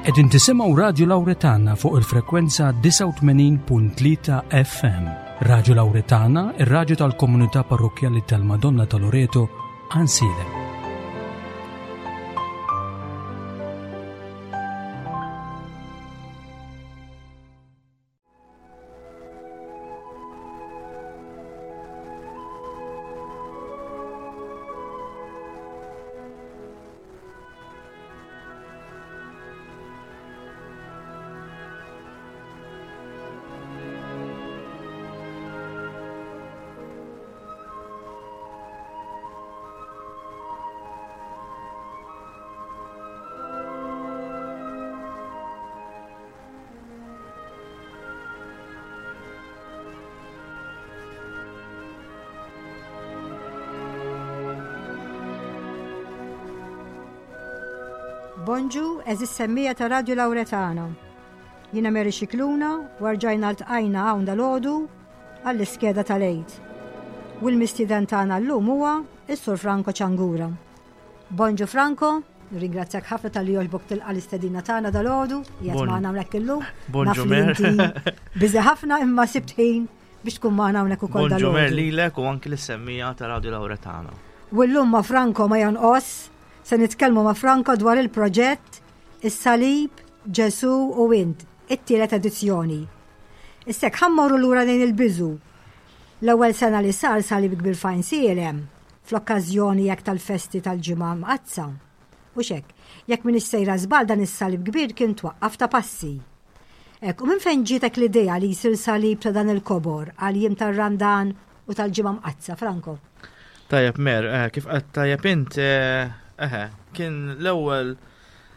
Qegħdin tisimgħu Radju Lawretana fuq il-frekwenza 89.3 FM. Radju Lawretana, ir-radju tal-komunità parrokkjali tal-Madonna ta' Loreto, Ansilem. Bonġu, eżis semmija ta' Radio Lauretana. Jina Mary Xikluna, warġajna l-tqajna hawn dal-ħodu għall-iskeda tal-Eid. U l-mistieden tagħna llum huwa is-Sur Franco Ċangura. Bonġu Franco, nirringrazzjak ħafna tal-li jogħġbok tilqa' l-istedina tagħna dal-għodu, qiegħed magħna hawnhekk illum. Bonġu Mer. Biżi ħafna imma sibt ħin biex tkun magħna hawnhekk ukoll dal Bonġu Mer lilek u anki l-semmija ta' Radio Lauretana. U llum ma' Franco ma jonqos, se nitkellmu ma' Franco dwar il-proġett Is-Salib, Ġesu u Int, it-tielet edizzjoni. Issek ħammorru lura lejn il-biżu. L-ewwel sena li sar salib kbir fajn sielem, fl-okkażjoni hekk tal-festi tal-Ġimgħa Mqaddsa. Hux hekk, jekk m'iniex sejra żball dan is-salib kbir kien twaqqaf ta' passi. Hekk, u minn fejn ġietek l-idea li jsir salib ta' dan il-kobor għall-jiem tar-Randan u tal-Ġimgħa Mqaddsa, Franco? Tajjeb Mer, eh, kif qed tajjeb int, eh, eħe, kien l-ewwel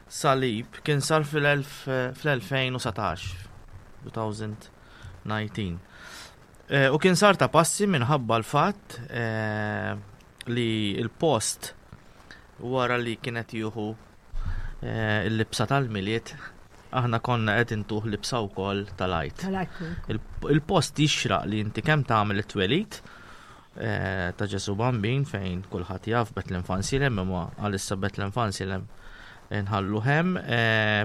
salib kien sar fil-2019, 2019. Eh, u kien sar ta' passi minħabba l-fatt eh, li l-post wara li kienet jieħu eh, l-libsa tal-miliet aħna konna qed intuh libsa wkoll tal-għid. Il-post jixraq li inti kemm tagħmel it-twelid ta' Ġesu Bambin fejn kulħadd jaf Betlem Fansilem imma għalissa Betlem Fansilem nħallu hemm,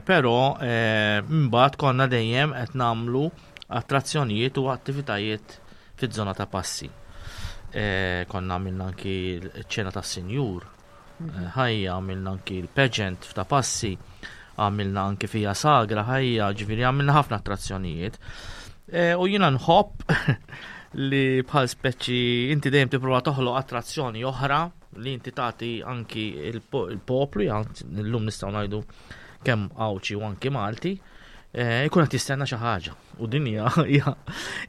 però mbagħad konna dejjem qed nagħmlu attrazzjonijiet u attivitajiet fiż-żona ta' passi. E, konna għamilna anki ċ-ċena tas sinjur mhm. ħajja, għamilna anki l-pageant ta' passi, għamilna anki fija sagra ħajja, ġifieri għamilna ħafna attrazzjonijiet. E, u jiena nħobb li bħal speċi inti dejjem tipprova toħloq attrazzjoni oħra li inti tagħti anki il-poplu, llum nistgħu ngħidu kemm Għawdxi u anki Malti, eh, ikun qed jistenna xi ħaġa. U din hija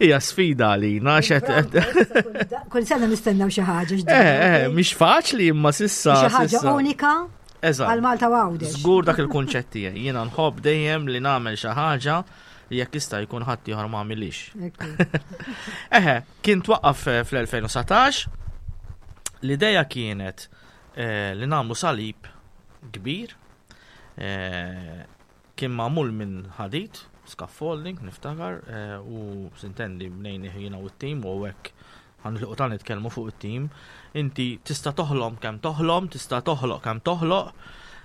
hija sfida għalina Kull sena nistennew xi ħaġa. Eh, eh, mhix faċli imma sissa. Xi ħaġa unika. Għal Malta u Għawdex. Żgur dak il-kunċett tiegħi. Jiena nħobb dejjem li nagħmel xi ħaġa li jekk jista' jkun ħadd ieħor ma għamilix. Eħe, kien twaqqaf eh, fl-2019 l-ideja kienet eh, li nagħmlu salib kbir eh, kien magħmul minn ħadid, scaffolding, niftakar, u sintendi bnejni jiena u t-tim u hekk ħanilqu ta' nitkellmu fuq it-tim. Inti tista' toħlom kemm toħlom, tista' toħloq kemm toħloq,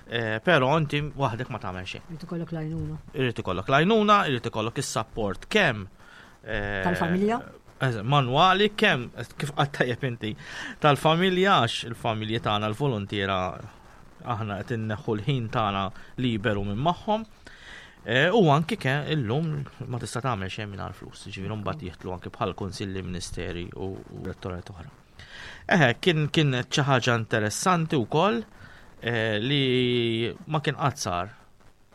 eh, però inti waħdek ma tagħmel xejn. Irid ikollok l-għajnuna. Irid ikollok l-għajnuna, irid ikollok is-sapport kemm eh, tal-familja. Manwali kemm kif qatt tajjeb inti tal-familja għax il-familji tagħna l-volontiera aħna qed inneħħu l-ħin tagħna liberu minn magħhom. Eh, u anki ke illum ma tista' tagħmel xejn mingħajr flus, ġifieri mbagħad jieħdlu anki bħal kunsilli, ministeri u rettorat oħra. Eħe, kien kien xi ħaġa interessanti wkoll eh, li ma kien qatt sar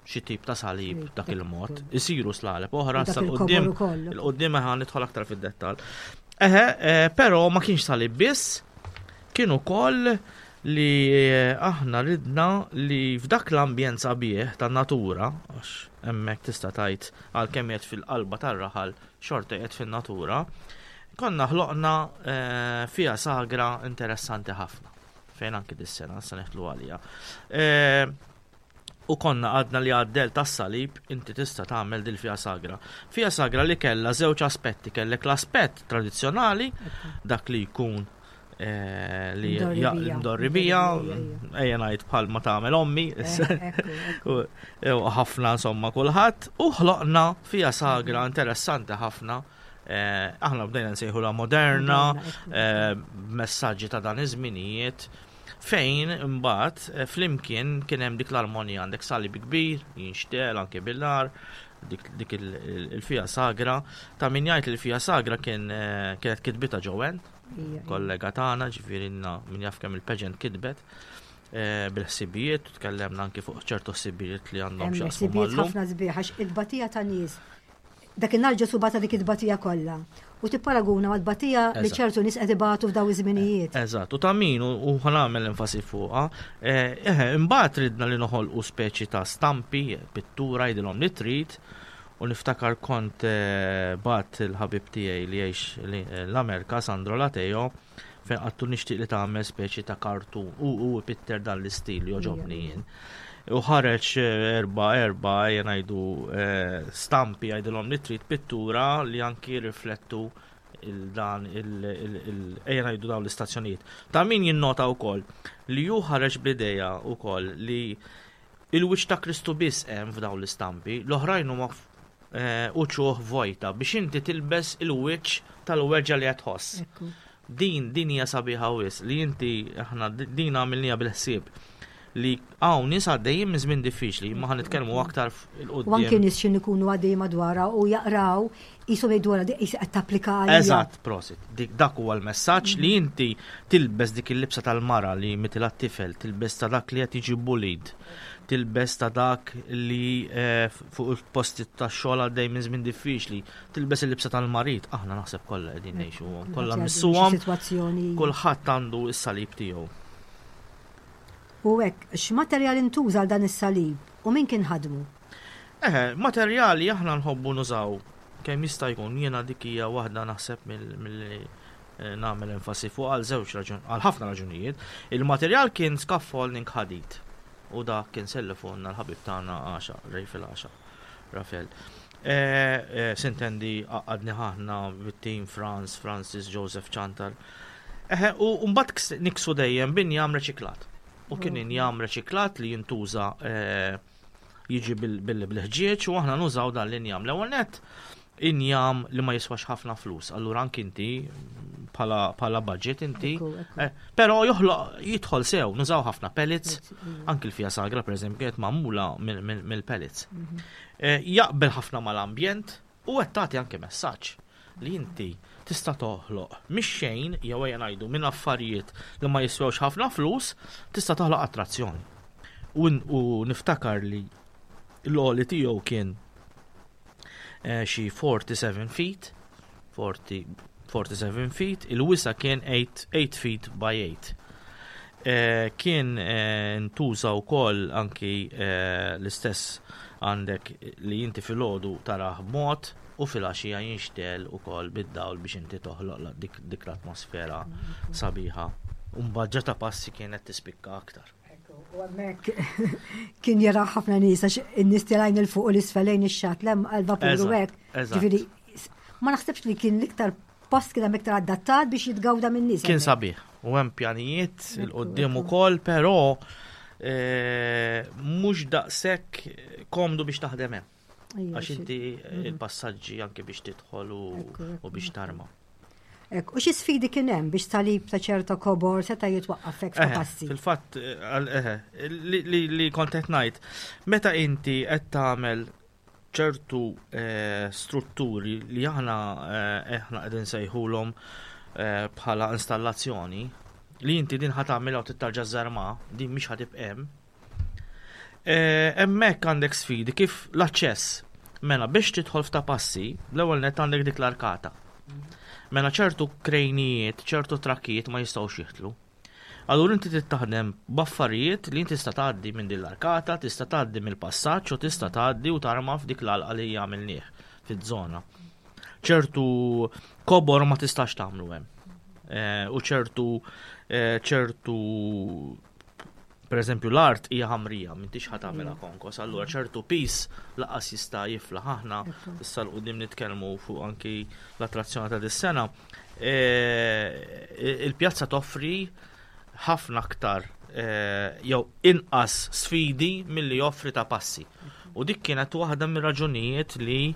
xi tip ta' salib dak il-mod. Isiru slaleb oħra sa qudiem il-qudiem eħe nidħol aktar fid-dettall. Eħe, eh, però ma kienx salib biss, kien ukoll li aħna ridna li f'dak l-ambjent sabiħ tan-natura, għax hemmhekk tista' tgħid għalkemm qiegħed fil-qalba tar-raħal xorta qiegħed fin-natura, konna ħloqna eh, fija sagra interessanti ħafna fejn anki dis-sena se neħtlu għalija. Eh, u konna għadna li għaddel tas-salib inti tista' tagħmel dil fija sagra. Fija sagra li kellha żewġ aspetti, kellek l-aspett tradizzjonali, dak li jkun. eh, li mdorri bija, ejja ngħid bħal ma tagħmel ommi, eh, ħafna insomma kulħadd, u ħloqna fija sagra interessanti ħafna. Eh, aħna bdejna nsejħu la moderna, messaġġi ta' dan iż-żminijiet, fejn imbagħad flimkien kien hemm dik l-armonija għandek salib kbir, jinxtel anke bil-nar, dik il-fija sagra, ta' min jgħid li l-fija sagra kien kienet kitbita ġowen, kollega tagħna, ġifieri min jaf kemm il-pageant kitbet eh, bil-ħsibijiet, tkellemna anki fuq ċertu ħsibijiet li għandhom x'jaqsmu Ħsibijiet ħafna sbieħ għax it-tbatija ta' nies. Dakinhar Ġesu bata dik it-tbatija kollha. U tipparaguna ma' tbatija li ċertu nies qed ibatu f'daw iż-żminijiet. Eżatt, u ta' min u ħanamel enfasi fuqha. Eh, eh, imbagħad ridna li noħolqu speċi ta' stampi, pittura jidilhom li trid, U niftakar kont bgħatt il-ħabib tiegħi li jgħix l-Amerika, Sandro Lateo, fejn qattu nixtieq li tagħmel speċi ta' kartun u hu ipitter dan l-istil li jogħġobni jien. U ħareġ erba' erba' ejja ngħidu stampi jgħidilhom li trid pittura li anki jirriflettu il-dan il ejja ngħidu dawn l-istazzjonijiet. Ta' min jinnota wkoll li hu ħareġ bl-idea wkoll li Il-wiċċ ta' Kristu biss hemm f'dawn l-istampi, l-oħrajn huma uċuħ vojta biex inti tilbes il-wiċċ tal-weġgħa li qed tħoss. Din din hija sabiħa wisq li inti aħna din għamilniha bil-ħsieb li hawn nies għaddejjin minn żmien diffiċli, imma ħa nitkellmu aktar 'il quddiem. U anke nies x'in ikunu għaddejjin madwarha u jaqraw qishom jgħidu wara dik qisha qed tapplika għalija. Eżatt, prosit. Dik dak huwa l-messaġġ li inti tilbes dik il-libsa tal-mara li mitilha t-tifel, tilbes ta' dak li qed jiġi bullied, tilbes ta' dak li eh, fuq il-posti tax-xogħol għaddej minn żmien diffiċli, tilbes il-libsa tal-marid, aħna naħseb kollha qegħdin ngħixuhom, kollha missuhom. Kulħadd għandu s-salib tiegħu. U hekk, x'materjal intuża għal dan is-salib u min kien ħadmu? Eħe, materjali aħna nħobbu nużaw kemm jista' jkun, jiena dik hija waħda naħseb milli eh, nagħmel enfasi fuq għal żewġ raġun, għal ħafna raġunijiet. Il-materjal kien scaffolding ħadid u dak kien sellifonna l-ħabib tagħna għaxa, Rejfel għaxa, Rafel. Eh, eh, sintendi għadni ħahna bit-tim Franz, Francis, Joseph Chantar. Eħe, u mbagħad niksu dejjem binjam reċiklat. U kien injam reċiklat li jintuża eh, jiġi bil-ħġieġ u aħna nużaw dan l-injam. L-ewwel nett injam li ma jiswax ħafna flus, allura anki inti bħala budget inti. Eh, però joħloq jidħol sew, nużaw ħafna pellets, anki l-fija sagra pereżempju kienet magħmula mill-pellets. Mhm. Eh, jaqbel ħafna mal-ambjent u qed tagħti anke messaġġ li inti tista' toħloq mix-xejn jew ejja ngħidu minn affarijiet li ma jiswewx ħafna flus, tista' toħloq attrazzjoni. U, u niftakar li l-għoli tiegħu kien eh, xi 47 feet, 40, 47 feet, il-wisa kien 8, 8 feet by 8. Eh, kien eh, ntuża wkoll anki eh, l-istess għandek li inti filgħodu tarah b'mod u filgħaxija jinxtegħel ukoll bid-dawl biex inti toħloq dik, dik l-atmosfera sabiħa. U mbagħad ġa ta' passi kienet tispikka aktar. U hemmhekk kien jara ħafna nies għax in-nies tilgħin il fuq u l-isfel lejn ix-xatt lem għal-vapur u hekk. Ġifieri ma naħsibx li kien l-iktar post kien hemm iktar adattat biex jitgawda minn nies. Kien sabiħ u hemm pjanijiet il qudiem ukoll, però eh, mhux daqshekk komdu biex taħdem hemm. Għax inti eh, mhm. il-passaġġi anke biex tidħol u biex tarma. Ek, u xi sfidi kien hemm biex salib ta' ċerta kobor seta' jitwaqqaf hekk ta' passi? Fil-fatt, eh, li kont qed ngħid, meta inti qed tagħmel ċertu eh, strutturi li aħna eh, aħna qegħdin sejħulhom eh, bħala installazzjoni li inti din ħa tagħmilha u tittarġa' żarma, din mhix ħa tibqa' hemm. Hemmhekk għandek sfidi kif l-aċċess. Mela biex tidħol f'ta' passi, l-ewwel nett għandek dik l-arkata. Mela ċertu krejnijiet, ċertu trakkijiet ma jistgħux jidħlu. Allura inti trid taħdem b'affarijiet li inti tista' tgħaddi minn din l-arkata, tista' tgħaddi mill-passaġġ u tista' tgħaddi u tarma f'dik l-għalqa li għamilnieh fiż-żona. Ċertu kobor ma tistax tagħmlu hemm. Eh, u ċertu eh, ċertu Per eżempju, l-art hija ħamrija, m'intix ħa tagħmilha konkos, allura ċertu pis laqas jista' jiflaħ. Aħna issa 'l quddiem nitkellmu fuq anki l-attrazzjoni ta' dis-sena. Il-pjazza toffri ħafna aktar jew inqas sfidi milli joffri ta' passi. U dik kienet waħda mir-raġunijiet li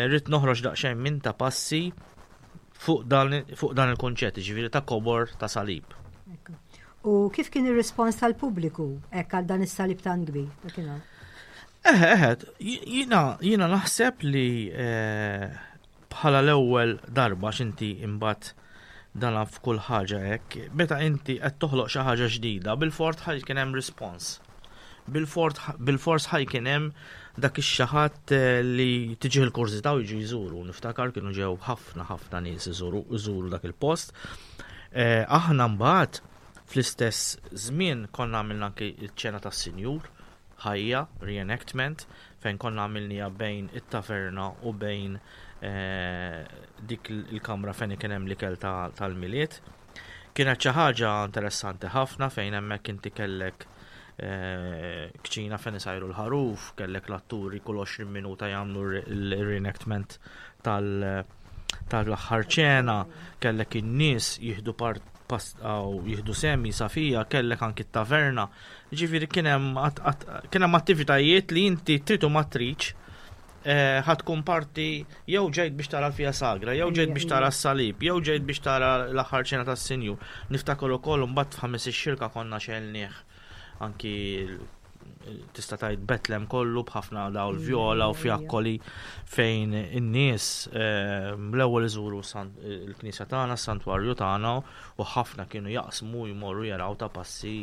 rrid noħroġ daqsxejn minn ta' passi fuq dan, fuq dan il-konċett, ġifieri ta' kobor ta' salib. U kif kien ir-rispons tal-pubbliku hekk għal dan is-salib tant kbir dakinhar? Eħe, eħe, jina, jina naħseb li eh, bħala l-ewwel darba x'inti imbagħad dan f'kull ħaġa hekk, meta inti qed toħloq xi ħaġa ġdida, bil-fort ħaj kien hemm rispons. Bil-fors ħaj kien hemm dak ix-xi ħadd eh, li tiġih il-kurżità u jiġu jżuru. Niftakar kienu ġew ħafna ħafna nies iżuru dak il-post. Eh, aħna mbagħad fl-istess żmien konna għamilna anki ċ-ċena tas-sinjur ħajja, reenactment, fejn konna għamilniha bejn it-taverna u bejn eh, dik il-kamra fejn kien hemm l-ikel tal-Milied. Kienet xi ħaġa interessanti ħafna fejn hemmhekk inti kellek eh, kċina fejn isajru l-ħaruf, kellek l-atturi kull 20 minuta jagħmlu l-reenactment tal-aħħar ċena, kellek in-nies jieħdu part jieħdu semi safija, kellek anki t-taverna. Ġifieri kien hemm attivitajiet li inti trid u ma tridx Eh, ħa tkun parti jew ġejt biex tara l-fija sagra, jew ġejt biex tara s-salib, jew ġejt biex tara l-aħħar ċena tas-sinjur. Niftakar ukoll mbagħad f'ħames ix-xirka konna xelnieh anki tista' tgħid Betlem kollu b'ħafna dawl vjola u fjakkoli fejn in-nies eh, l-ewwel iżuru il-knisja tagħna, s-santwarju tagħna u ħafna kienu jaqsmu jmorru jaraw ta' passi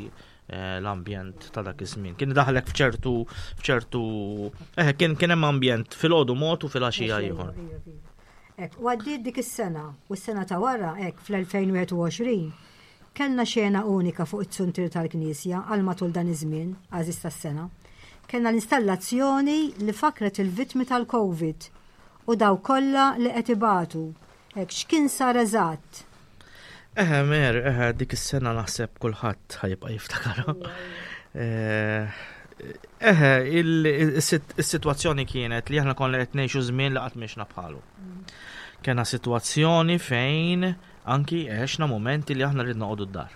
Eh, l-ambjent ta' dak iż-żmien. Kien daħlek f'ċertu f'ċertu eh, kien kien hemm ambjent filgħodu mod u filgħaxija ieħor. Ek, u għaddiet dik is-sena u s-sena ta' wara hekk fl-2021 kellna xena unika fuq it-suntir tal-Knisja għal matul dan iż-żmien, għażiż tas-sena. Kellna l-installazzjoni li fakret il-vittmi tal-Covid u daw kollha li qed ibatu. Hekk x'kien sar eżatt? Eħe, mer, eħe, dik is-sena naħseb kulħadd ħajibqa' jiftakarha. Eh, eħe, is-sitwazzjoni kienet li aħna konna qed ngħixu żmien li qatt mixna bħalu. Kena sitwazzjoni fejn anki għexna momenti li aħna ridna noqogħdu d-dar.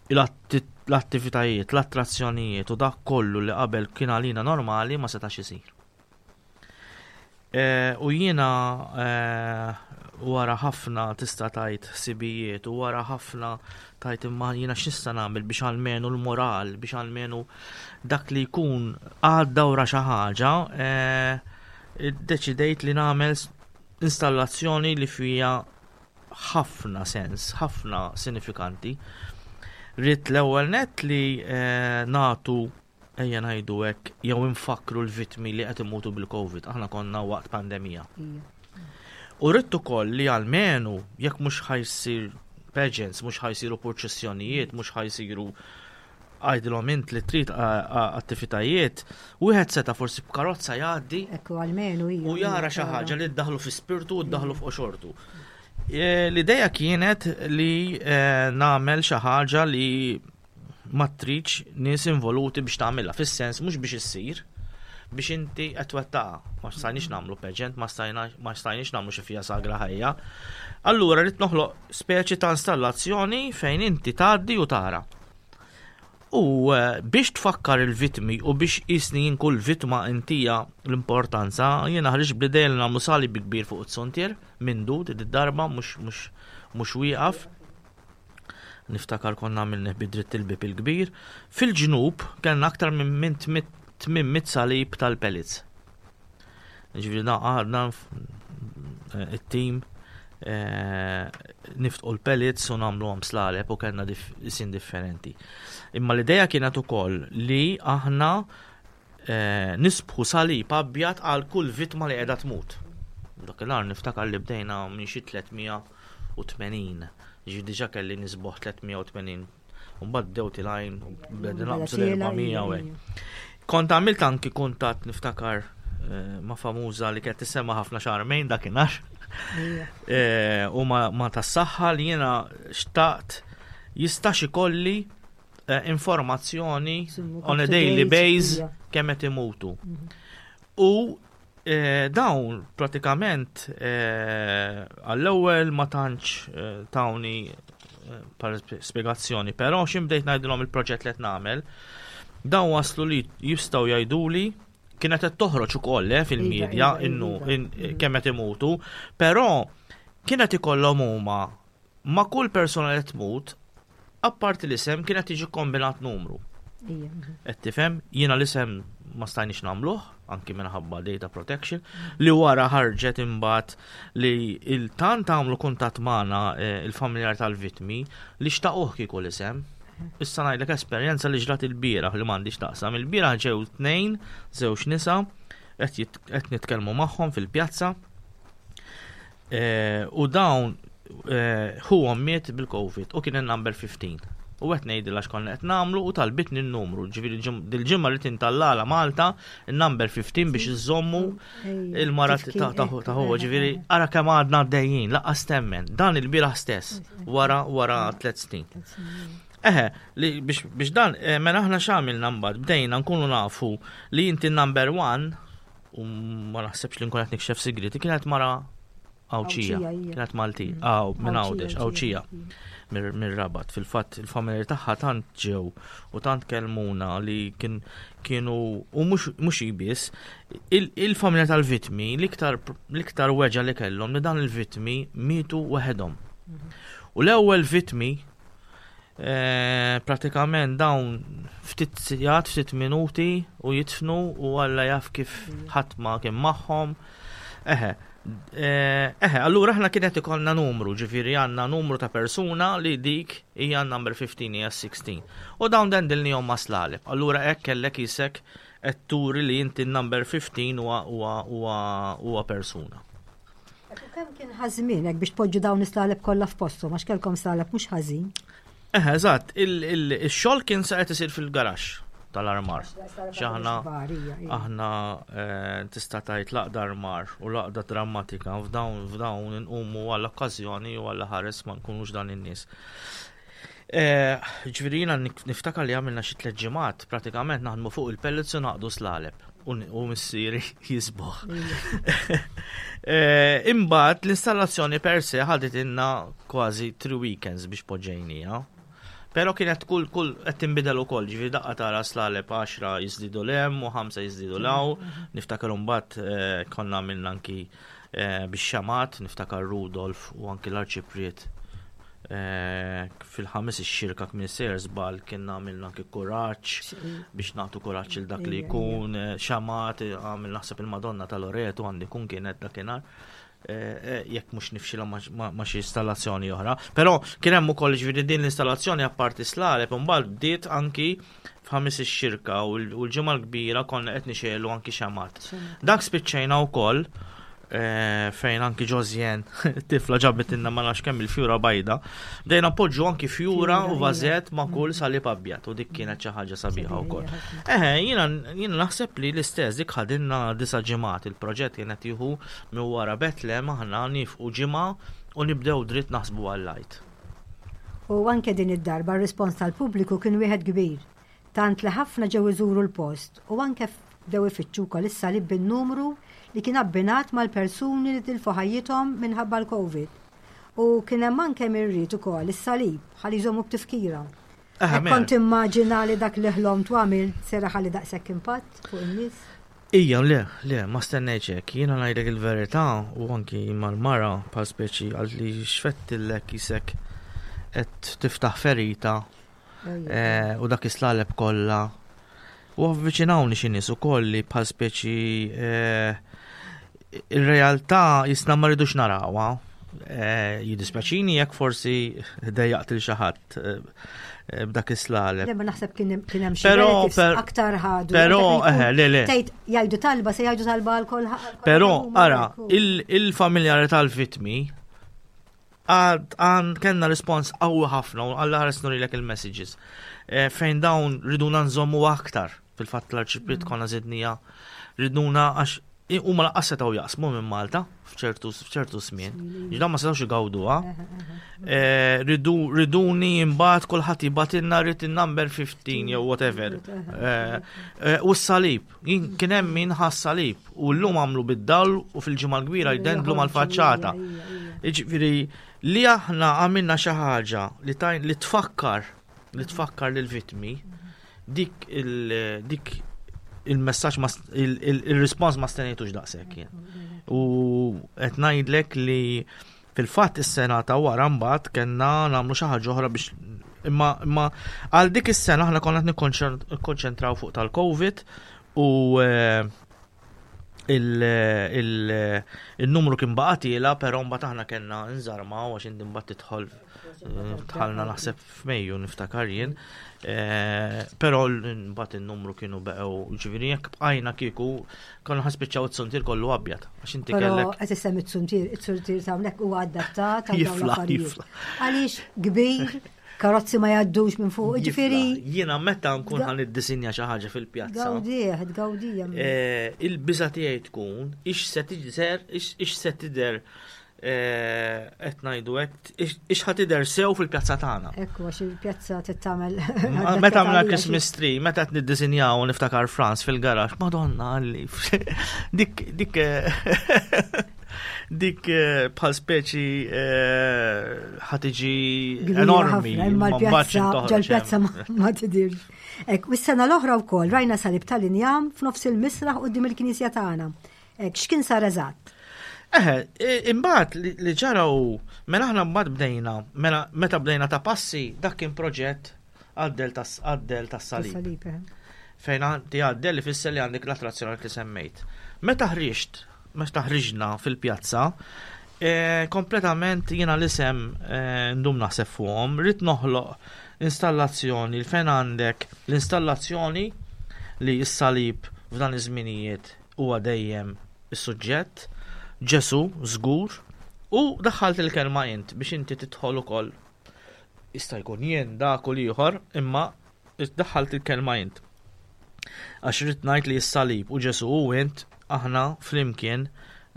L-attivitajiet, l-attrazzjonijiet u dak kollu li qabel kien għalina normali ma setax isir. Eh, u jiena eh, wara ħafna tista' tajt ħsibijiet u wara ħafna tajt imma jiena x'nista' nagħmel biex almenu l-moral, biex almenu dak li jkun għadda wara xi ħaġa, eh, iddeċidejt li nagħmel installazzjoni li fija ħafna sens, ħafna sinifikanti. Rrid l-ewwel net li nagħtu ejja ngħidu hekk, jew infakkru l-vittmi li qed imutu bil-Covid, aħna konna waqt pandemija. U rrid ukoll li almenu jekk mhux ħajsir pageants, mhux ħajsiru purċissjonijiet, mhux ħajsiru għajdilhom int li trid attivitajiet, wieħed seta' forsi b'karozza jgħaddi. Ekku almenu U jara xi ħaġa li ddaħlu fi spirtu u ddaħlu f'qoxortu. E, l-ideja kienet li e, nagħmel xi ħaġa li ma tridx nies involuti biex tagħmilha, fis-sens mhux biex issir, biex inti qed twettaqha. Ma stajniex nagħmlu pageant, ma stajniex nagħmlu xi fija sagra ħajja. Allura rrid noħloq speċi ta' installazzjoni fejn inti tgħaddi u tara. U eh, biex tfakkar il-vitmi u biex jisni jien kull vitma intija l-importanza, jiena ħriġ bl-idea li nagħmlu sali bi kbir fuq it-sontier minn dud id-darba mhux wieqaf. Niftakar konna għamilnih bi dritt il-bib il-kbir. Fil-ġnub kellna aktar minn 800 salib tal-pellets. Ġifieri da għadna eh, it-tim eh, niftqu l-pellets u nagħmluhom slaleb u kellna isin differenti. Imma l-idea kienet ukoll li aħna eh, nisbħu salib abjad għal kull vittma li qiegħda tmut. Dakinhar niftakar li bdejna minn xi 380. Ġi diġà kelli nisboħ 380. Mbagħad bdew tilajn u bdejna naqbżu l-400 u hekk. Kont għamilt anki kuntatt niftakar eh, ma' famuża li kienet tissemma ħafna xarmejn dakinhar. Eh, u ma tas-saħħa li jiena xtaqt jistax ikolli. informazzjoni on a daily base kemm qed imutu. U dawn pratikament għall-ewwel ma tantx tawni spjegazzjoni, però xi bdejt ngħidilhom il-proġett li qed nagħmel, dawn waslu li jistgħu jgħiduli kienet qed toħroġ ukoll fil-medja iva, iva, innu iva. kemm qed imutu, però kienet ikollhom huma ma' kull persuna li tmut, apparti l-isem kienet tiġi kombinat numru. Qed tifhem, jiena l-isem ma stajniex nagħmluh, anki minħabba data protection, li wara ħarġet imbagħad li il-tant għamlu kuntatt magħna eh, il-familjar tal-vittmi li xtaquh kieku l-isem. Issa ngħidlek esperjenza li ġrat il-bieraħ li m'għandix taqsam. Il-bieraħ ġew tnejn, żewġ nisa, qed nitkellmu magħhom fil-pjazza Eh, u dawn eh, ħuhom miet bil-Covid u kien il-number 15. U qed ngħidilha x'konna qed nagħmlu u talbitni n-numru. Ġifieri dil-ġimgħa li tintallala Malta il-number 15 biex iżommu il-mara ta' ħuha. Ġifieri ara kemm għadna għaddejjin, laqqas temmen. Dan il-bieraħ stess wara wara tliet snin. Eħe, li biex dan, eh, mela aħna x'għamilna mbagħad bdejna nkunu nafu li inti number one u ma naħsebx li nkun qed nikxef sigriti, kienet mara Għawdxija, kienet Malti, mm. għaw minn Għawdex, Għawdxija, mir-Rabat. Fil-fatt il-familja tagħha tant ġew u tant kelmuna li kien kienu u mhux biss il-familja tal-vitmi l-iktar weġa li kellhom li dan il-vitmi mietu waħedhom. Mhm. U l-ewwel vitmi Eh, pratikament dawn ftit sigħat, ftit minuti u jitfnu u Alla jaf kif ħadd ma kien magħhom. Eħe, eh, eħe, allura aħna kienet ikollna numru, ġifieri għandna numru ta' persuna li dik hija number 15 hija 16. U dawn dendilnihom ma' slaleb. Allura hekk kellek isek qed turi li inti number 15 huwa persuna. U kemm kien ħażmin hekk biex tpoġġu dawn is-slaleb kollha f'posthom għax kellkom slaleb mhux ħażin. Eħe, eżatt, il-xogħol kien sa qed isir fil-garaxx tal-armar. X'aħna aħna eh, tista' tgħid laqda armar u laqda drammatika f'dawn f'dawn inqumu għall-okkażjoni u għall ħares ma nkunux dan in-nies. Eh, ġifieri jiena niftakar li għamilna xi tliet ġimgħat pratikament naħdmu fuq il-pellets u naqdu slaleb u missieri jisboħ. Eh, imbagħad l-installazzjoni per se ħadet inna kważi three weekends biex poġġejnija. Però kienet kull kull qed tinbidel ukoll, ġifieri daqqa tara slaleb 10 jiżdiedu l-hemm u 5 jiżdiedu l-hawn. Niftakar imbagħad eh, konna għamilna anki bix-xamat, niftakar Rudolf u anki l-Arċipriet Eh, fil-ħames ix-xirka kmin sejjer żball kien għamilna anki kuraġġ biex nagħtu kuraġġ il dak li jkun, eh, xamat, eh, għamil naħseb il-Madonna tal-Oretu għandi kun kienet dakinhar. Jekk mhux nifxilha ma' xi installazzjoni oħra. Però kien hemm ukoll ġifieri din l-installazzjoni apparti slaleb imbagħad bdiet anki f'ħames ix-xirka u l-ġimgħa l-kbira konna qed nixegħlu anki xamat. Dak spiċċejna wkoll eh, fejn anki Ġozjen tifla ġabet inna ma nafx kemm il-fjura bajda. Bdejna poġġu anki fjura u vażett ma' kull salib abjad u dik kienet xi ħaġa sabiħa wkoll. Eħe, jiena jiena naħseb li l-istess dik ħadinna disa' ġimgħat il-proġett kienet jieħu minn wara Betlem aħna nifqu ġimgħa u nibdew dritt naħsbu għall-għid. U anke din id-darba r-rispons tal-pubbliku kien wieħed kbir, tant li ħafna ġew iżuru l-post u anke bdew ifittxu wkoll is-salib bin-numru li kien abbinat mal-persuni li tilfu ħajjithom minħabba l-Covid. U kien hemm anke min ried ukoll is-salib ħalli jżommu b'tifkira. Hekk kont timmaġina li dak li ħlomt u għamilt ser iħalli daqshekk impatt fuq in-nies? Ija, le, le, ma stennejtx hekk. Jiena ngħidlek il-verità u anki mal-mara bħal speċi għal li xfettillek isek qed tiftaħ ferita eh, u dak islaleb kollha. U avviċinawni xi nies ukoll li bħal speċi eh, ir-realtà jisna ma rridux narawha. Eh, jiddispjaċini jekk forsi dejjaqt il xi ħadd eh, eh, b'dak is-slaleb. Le ma naħseb kien hemm xi aktar ħadu. Però eh, le le. Tgħid jgħidu talba se jgħidu talba għal kulħadd. Però ara, il-familjari tal-vittmi għand kellna rispons qawwi ħafna u għalla ħares nurilek il-messages fejn dawn riduna nżommu aktar fil-fatt l-arċipriet konna zidnija riduna għax. Huma lanqas setgħu jaqsmu minn Malta f'ċertu f'ċertu żmien. Ġdan ma setgħux igawduha. Eh, riduni imbagħad kulħadd jibgħatilna rrid in-number 15 jew whatever. Eh, eh, u s-salib, kien hemm min ħass salib u llum għamlu bid-dawl u fil-ġimgħa l-kbira jdendlu mal-faċċata. Jiġifieri li aħna għamilna xi ħaġa li tajn li tfakkar li tfakkar lill-vittmi dik il dik il-messaġġ il-rispons ma stenejtux daqshekk jien. U qed ngħidlek li fil-fatt is-sena ta' wara mbagħad kellna nagħmlu xi ħaġa oħra biex imma imma għal dik is-sena aħna konna qed nikkonċentraw fuq tal-COVID u eh, il-numru kien baqa' tiela, però mbagħad aħna kellna nżarmaw għax inti mbagħad tidħol eh, tħalna naħseb f'Mejju niftakar jien. Eh, però mbagħad in-numru kienu beqgħu ġifieri jekk bqajna kieku konna ħaspiċċaw it-suntier kollu abjad għax inti kellek. Qed issemmi t-suntier, it-suntier ta' hawnhekk huwa adattat għal dawn l-affarijiet. Għaliex kbir karozzi ma jgħaddux minn fuq, ġifieri. Jiena meta nkun ħan iddisinja xi ħaġa fil-pjazza. Gawdija, tgawdija. Eh, il-biża tiegħi tkun ix se tidher, ix se tidher eh, qed ngħidu hekk, ix ħa tidher sew fil-pjazza tagħna. Ekku għax il-pjazza tittamel. Meta għamilna Christmas tree, meta qed niddisinjaw niftakar Franz fil-garax, Madonna għalli. Dik dik eh, Dik eh, bħal speċi eh, ħatiġi enormi. Imma l-pjazza, ġal-pjazza ma tidirx. Ek, u s-sena l-oħra wkoll rajna salib tal-injam f'nofs il-misraħ qudiem il-knisja tagħna. Ek, x'kien sar eżatt? Eħe, imbagħad li ġara hu, mela aħna mbagħad bdejna, mela meta bdejna ta' passi, dak kien proġett għaddel tas-salib. Eh. Fejn għandi għaddel li fisser li għandek l-attrazzjoni li semmejt. Meta ħriġt, meta ħriġna fil-pjazza, eh, kompletament jiena l-isem eh, ndum naħseb fuqhom, rrid noħloq installazzjoni fejn għandek l-installazzjoni li s-salib f'dan iż-żminijiet huwa dejjem is-suġġett, Ġesu żgur, u daħħalt il-kelma int biex inti tidħol ukoll Jista' jkun jien dak u l-ieħor, imma daħħalt il-kelma int. Għax rrid ngħid li s-salib u Ġesu u int aħna flimkien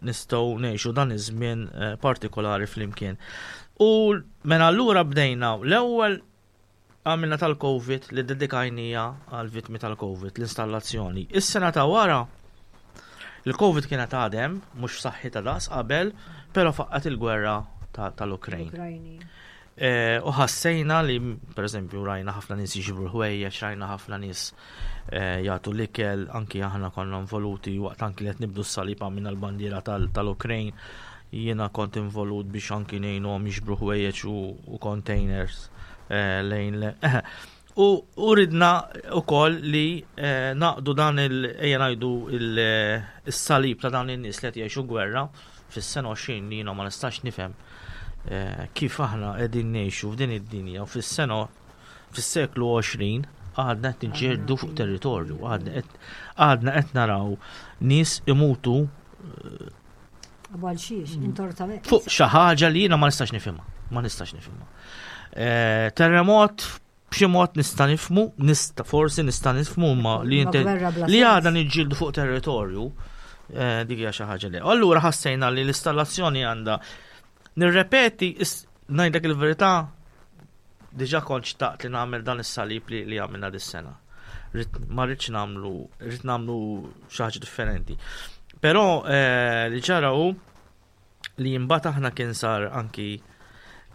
nistgħu ngħixu dan iż-żmien eh, partikolari flimkien. U mela allura bdejna l-ewwel għamilna tal-Covid li dedikajnija għal vittmi tal-Covid, l-installazzjoni. Is-sena ta' wara il-Covid kienet għadem, mhux saħħi ta' daqs qabel, però faqqat il-gwerra tal-Ukrajn. Eh, u ħassejna li, per eżempju, rajna ħafna nies jiġbru l-ħwejjeġ, rajna ħafna nies eh, jagħtu l-ikel, anki aħna konna involuti waqt anki li qed nibdu s-salib għamilna l-bandiera tal-Ukrajn, jiena kont involut biex anki ngħinuhom jiġbru ħwejjeġ u containers eh, lejn U ridna wkoll li naqdu dan il ejja ngħidu il-salib ta' dawn in-nies li qed jgħixu gwerra fis-sena 20 li jiena ma nistax nifhem eh, kif aħna qegħdin ngħixu f'din id-dinja u fis-sena fis-seklu 20 għadna qed niġġieldu fuq territorju, għadna qed naraw nies imutu eh, fuq xi ħaġa li jiena ma nistax nifhimha, ma nistax nifhimha. Eh, terremot b'xi mod nista' nifhmu, nista' forsi nista' nifhmu ma li inti li għadha niġġieldu fuq territorju eh, dik hija xi ħaġa li. Allura ħassejna li l-installazzjoni għandha nirrepeti ngħidlek il-verità diġà kont xtaqt li nagħmel dan is-salib li, li għamilna dis-sena. Ma rridx nagħmlu, rrid nagħmlu xi ħaġa differenti. Però eh, li ġara hu li imbagħad aħna kien sar anki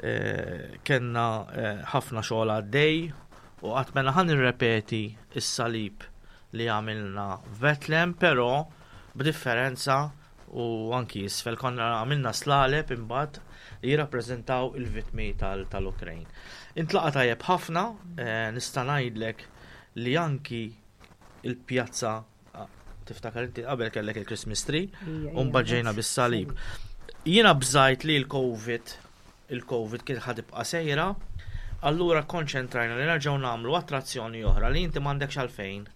eh, kellna eh, ħafna xogħol għaddej u qatt mela ħan nirrepeti s-salib li għamilna f'Betlem, però b'differenza u anki isfel konna għamilna slaleb imbagħad li jirrappreżentaw il-vittmi tal-Ukrajn. Intlaqa tajjeb ħafna, eh, nista' ngħidlek li anki il-pjazza Tiftakar inti qabel kellek il-Christmas tree u mbagħad ġejna bis-salib. Jiena bżajt li l-COVID il-COVID kien ħad ibqa' sejra, allura konċentrajna li nerġgħu nagħmlu attrazzjoni oħra li inti m'għandekx għalfejn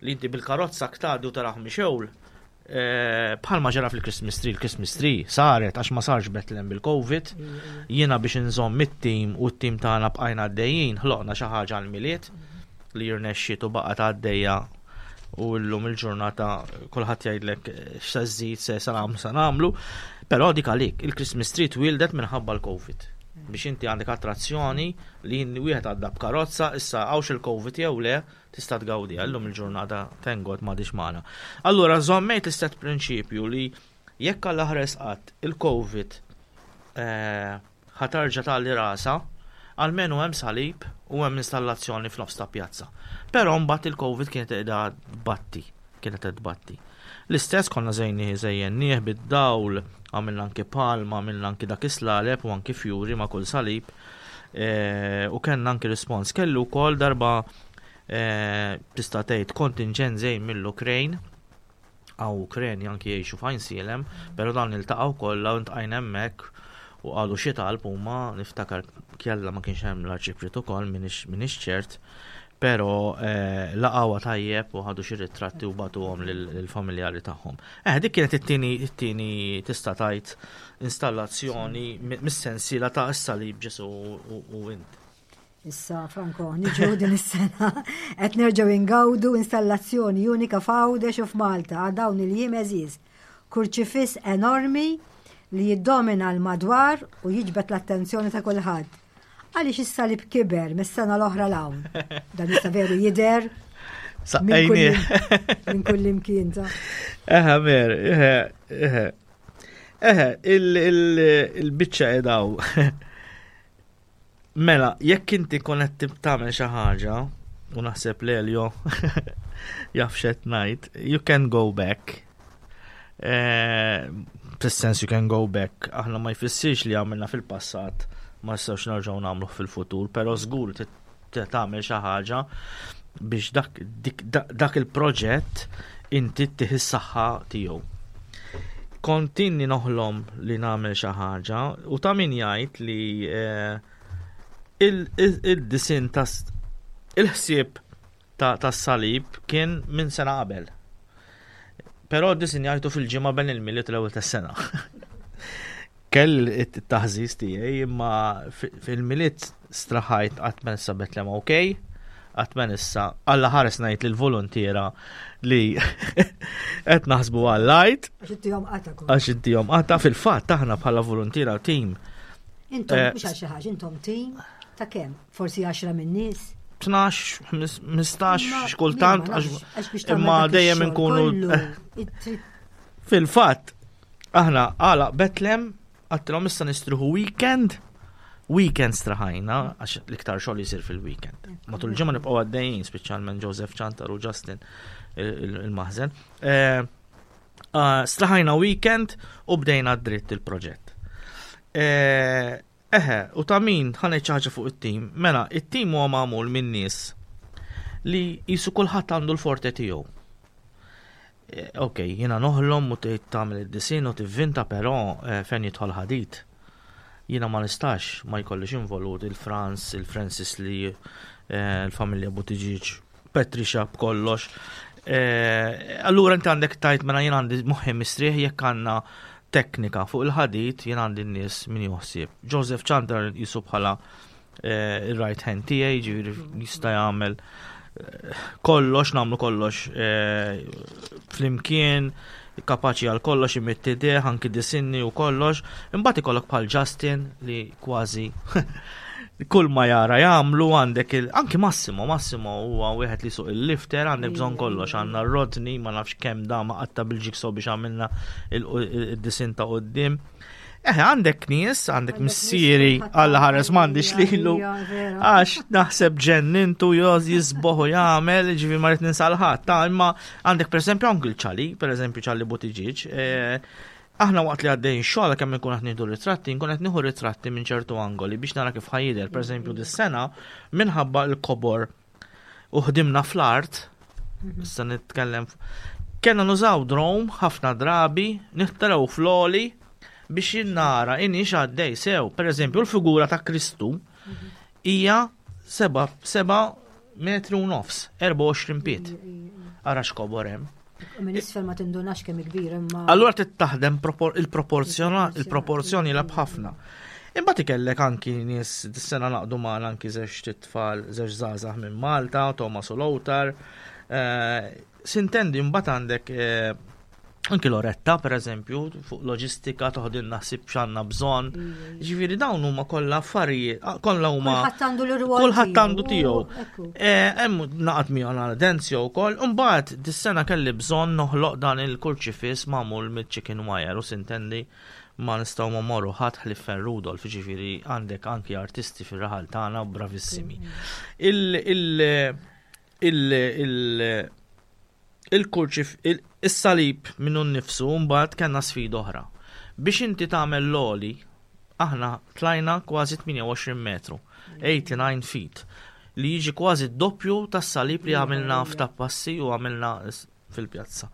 li inti bil-karozza ktadi u taraħ mixewl eh, bħalma ġara fil-Christmas tree, il-Christmas tree saret għax ma sarx Bethlehem bil-Covid, jiena biex inżomm it-tim u t-tim tagħna bqajna għaddejjin, ħloqna xi ħaġa għall-Milied li jirnexxiet u baqgħet għaddejja. U llum il-ġurnata kulħadd jgħidlek x'se żżid se se nagħmlu se nagħmlu. Però dik għalik, il-Christmas tree twieldet minħabba l-Covid. Biex inti għandek attrazzjoni li wieħed għadda b'karozza, issa hawnx il-Covid jew le, tista' tgawdiha. Illum il-ġurnata thank God m'għadix magħna. Allura żommejt l-istess prinċipju li jekk Alla ħares qatt il-Covid eh, ħa tarġa' tgħalli rasha, almenu hemm salib u hemm installazzjoni f'nofs ta' pjazza. Però mbagħad il-Covid kienet qiegħda tbatti, kienet qed tbatti. L-istess konna żejni żejjennieh bid-dawl, għamilna anki palma, għamilna anki dak is-slaleb u anki fjuri ma' kull salib. E, u kellna anki rispons. Kellu wkoll darba e, tista' tgħid kontinġent żejn mill-Ukrajn Hawn Ukreni anki jgħixu f'Għajnsielem, però dawn iltaqgħu kollha u ntqajna hemmhekk u qalu xi talb huma, niftakar kjella ma kienx hemm l-arċipriet ukoll m'iniex ċert, però eh, laqgħuha tajjeb u ħadu xi ritratti u bagħtuhom lill-familjari tagħhom. Eh, dik kienet it-tieni it-tieni tista' tgħid installazzjoni mis-sensiela ta' is-salib Ġesu u int. Issa, Franco, niġu din is-sena qed nerġgħu ingawdu installazzjoni unika f'Għawdex u f'Malta għal dawn il-jiem għeżież. Kurċifiss enormi li jiddomina l-madwar u jiġbed l-attenzjoni ta' kulħadd. Għaliex is-salib kiber mis-sena l-oħra 'l hawn? Dan issa veru jidher minn kull imkien ta' Eħe, mer, eħe, eħe. Eħe, il-biċċa edaw. Mela, jekk inti kont qed tagħmel xi ħaġa, u naħseb l-Elio jaf x'qed ngħid, you can go back. Eh, fis-sens you can go back, aħna ma jfissirx li għamilna fil-passat ma nistgħux nerġgħu nagħmluh fil-futur, però żgur tagħmel xi ħaġa biex dak, dak il-proġett inti ttih is-saħħa tiegħu. Kontinni noħlom li nagħmel xi ħaġa u ta' min jgħid li eh, il-disin ta' il-ħsieb tas-salib kien minn sena qabel. Però disinjajtu fil-ġimgħa bejn il-Milied l-ewwel tas-sena. Kell it-taħżiż tiegħi imma fil-Milied straħajt qatt ma issa Betlem ok, qatt ma issa Alla ħares ngħid lill-voluntiera li qed naħsbu għall-għid. Għax ittihom qata. Għax ittihom qata fil-fatt aħna bħala voluntiera team. Intom eh, mhux għal xi ħaġa, intom team ta' kemm? Forsi 10 minn nies? 12, 15, xkultant, imma dejjem inkunu. Fil-fatt, aħna għala Betlem, għattilhom issa nistruħu weekend, weekend straħajna, għax l-iktar xogħol jisir fil-weekend. Matul il-ġimgħa nibqgħu għaddejjin, speċjalment Joseph Chantar u Justin il-maħżen. Eh, ah, straħajna weekend u bdejna dritt il-proġett. Eh, Eħe, u ta' min, ħa ngħid xi ħaġa fuq it-tim. Mela, it-tim huwa magħmul minn nies li jisu kulħadd għandu l-forte tiegħu. Eh, ok, jiena noħlom u tgħid tagħmel id-disin u tivvinta però eh, fejn jidħol ħadid. Jiena ma nistax ma jkollix involut il-Franz, il-Francis li eh, l-familja Buttigieg Patricia b'kollox. Eh, allura inti għandek tajt mela jien għandi moħħi mistrieħ jekk għandna teknika fuq il-ħadid jien għandi n-nies min joħsieb. Joseph Chandler jisu bħala eh, il-right hand tiegħi, ġifieri jista' jagħmel eh, kollox, nagħmlu kollox flimkien, kapaċi għal kollox imitti deħ, anki disinni u kollox. Imbagħad ikollok bħal Justin li kważi kull ma jara jagħmlu għandek il anki Massimo, Massimo huwa wieħed li suq il-lifter għandek bżonn kollox, għandna Rodney ma nafx kemm da ma qatta bil-ġikso biex għamilna il-disin ta' qudiem. Eh, għandek nies, għandek missieri, għalla ħares m'għandix lilu. Għax naħseb ġennintu joż jisboħu jagħmel, ġifi ma rrid ninsalħat. Ta' imma għandek pereżempju anki l-ċali, pereżempju ċali Buttigieg, eh, aħna waqt li għaddejn xogħol kemm inkun qed nieħdu ritratti, nkun qed nieħu ritratti minn ċertu angoli biex nara kif ħajjidher. Pereżempju dis-sena minħabba l-kobor u ħdimna fl-art, mhm. issa nitkellem, kellna nużaw drone ħafna drabi, nittaraw fl-oli biex jinnara inix għaddej sew. Per eżempju, l-figura ta' Kristu mhm. hija 7 metri u nofs, 24 piet. Ara x'kobor hemm. Minn isfel ma tindunax kemm kbir imma. Allura trid taħdem il-proporzjoni lab ħafna. Imbagħad ikellek anki nies dis-sena naqdu magħna anki żewġ tfal, żewġ żgħażagħ minn Malta, Thomas u Lothar. Eh, Sintendi mbagħad għandek eh, anki Loretta, per eżempju, fuq loġistika toħdilna ħsieb x'għandna bżonn. Ġifieri dawn huma kollha affarijiet, ah, kollha huma. Kulħadd għandu l-irwol. Kulħadd għandu tiegħu. Eh, hemm naqgħod miegħu għal Denzio wkoll, imbagħad dis-sena kelli bżonn noħloq dan il-kurċifiss magħmul mill-chicken wire u sintendi ma nistgħu ma morru ħadd ħlief Fen Rudolf, ġifieri għandek anki artisti fir-raħal tagħna bravissimi. Il il il il il-kurċif is-salib minnu nnifsu mbagħad kellna sfida oħra. Biex inti tagħmel l-għoli, aħna tlajna kważi 28 metru, 89 feet, li jiġi kważi d-doppju tas-salib li għamilna f'Tappassi u għamilna fil-pjazza.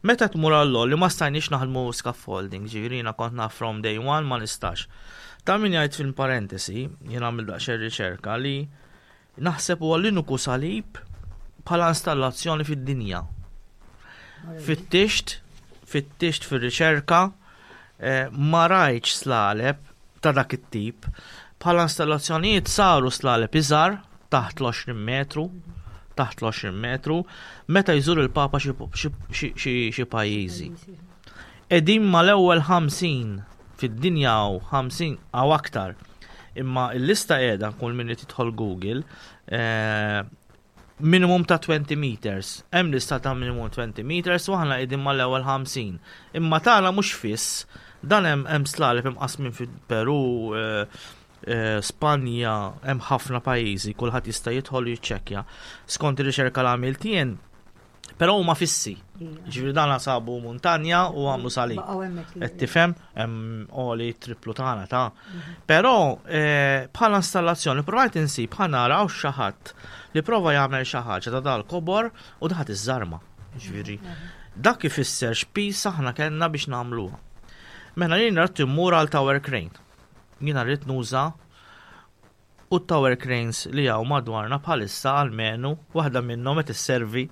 Meta tmur għall-għoli ma stajniex naħdmu scaffolding, ġifieri jiena kont naf from day one ma nistax. Ta' min jgħid fil-parentesi, jien għamil daqsxejn riċerka li Naħseb huwa l-uniku salib bħala installazzjoni fid-dinja. Fittixt, fittixt fir-riċerka, eh, ma rajtx slaleb ta' dak it-tip. Bħala installazzjonijiet saru slaleb iżgħar taħt l-20 metru, taħt l-20 metru, meta jżur il-Papa xi pajjiżi. Qegħdin mal-ewwel 50 fid-dinja hawn 50 hawn aktar. Imma l-lista qiegħda kull min irid jidħol Google eh, minimum ta' 20 meters. Hemm lista ta' minimum 20 meters u aħna qegħdin mal-ewwel 50. Imma tagħna mhux fiss, dan hemm hemm slaleb imqasmin fil-Peru, eh, eh, Spanja, hemm ħafna pajjiżi, kulħadd jista' jidħol u jiċċekkja. Skont ir-riċerka l għamilt jien, Però huma fissi. Ġifieri dan sabu muntanja u għamlu salib. Qed tifhem hemm oli triplu tagħna ta'. Mhm. Però eh, bħala installazzjoni provajt insib ħa naraw xi ħadd li prova jagħmel xi ħaġa ta' dal-kobor u daħat iż-żarma. Ġifieri mhm. dak ifisser x'pis aħna kellna biex nagħmluha. Mela jien rrid immur għal tower crane. Jiena rrid nuża u t-tower cranes li hawn madwarna bħalissa almenu waħda minnhom qed isservi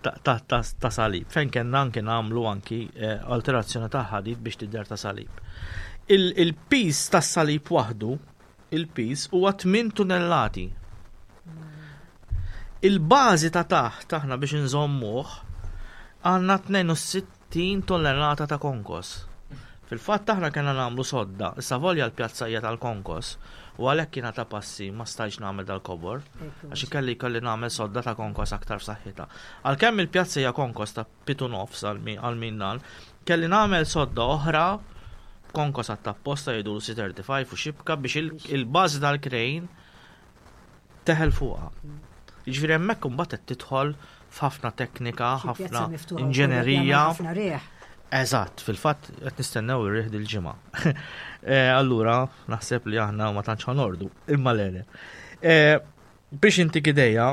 ta' salib, fejn kellna anki nagħmlu anki eh, alterazzjoni ta' ħadid biex tidher ta' salib. Il-piż tas-salib waħdu, il-piż huwa 8 tunellati. Il-bażi ta' taħt aħna biex inżommuh għandna 62 60 tonnellata ta' konkos. Fil-fatt aħna kellna nagħmlu sodda, issa volja l-pjazza hija tal-konkos u għalhekk jiena ta' passi ma stajtx nagħmel dal-kobor, għax ikelli jkolli nagħmel sodda ta' konkos aktar f'saħħitha. Għalkemm il-pjazza hija konkos ta' pitu nofs għal min dan, kelli nagħmel sodda oħra konkos għat-tapposta jgħidulu C35 u xibka biex il-bażi tal-krejn teħel fuqha. Jiġifieri hemmhekk imbagħad qed tidħol f'ħafna teknika, ħafna inġenerija. Eżatt, fil-fatt qed nistennew ir-riħ dil-ġimgħa. Eh, allura naħseb li aħna ma tantx ħanordu, imma lele. Eh, biex inti ideja,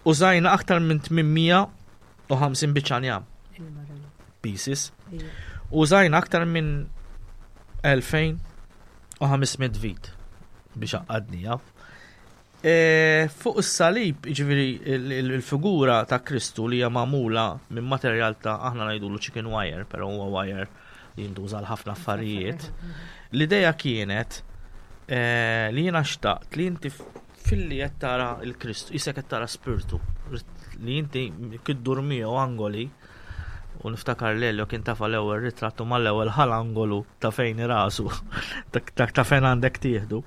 użajna aktar minn 850 biċċa njam. Pieces. Użajna aktar minn 2500 vit biex għaqqadnija. E, fuq is-salib, ġifieri il-figura ta' Kristu li hija magħmula minn materjal ta' aħna ngħidulu chicken wire, però huwa wire li jintuża għal ħafna affarijiet. L-idea kienet e, li jiena xtaqt li inti filli qed tara l-Kristu, isek qed tara spirtu, li inti kiddur miegħu angoli u niftakar l kien tafa l-ewwel ritratt u mal-ewwel ħal angolu ta' fejn rasu, ta' fejn għandek tieħdu.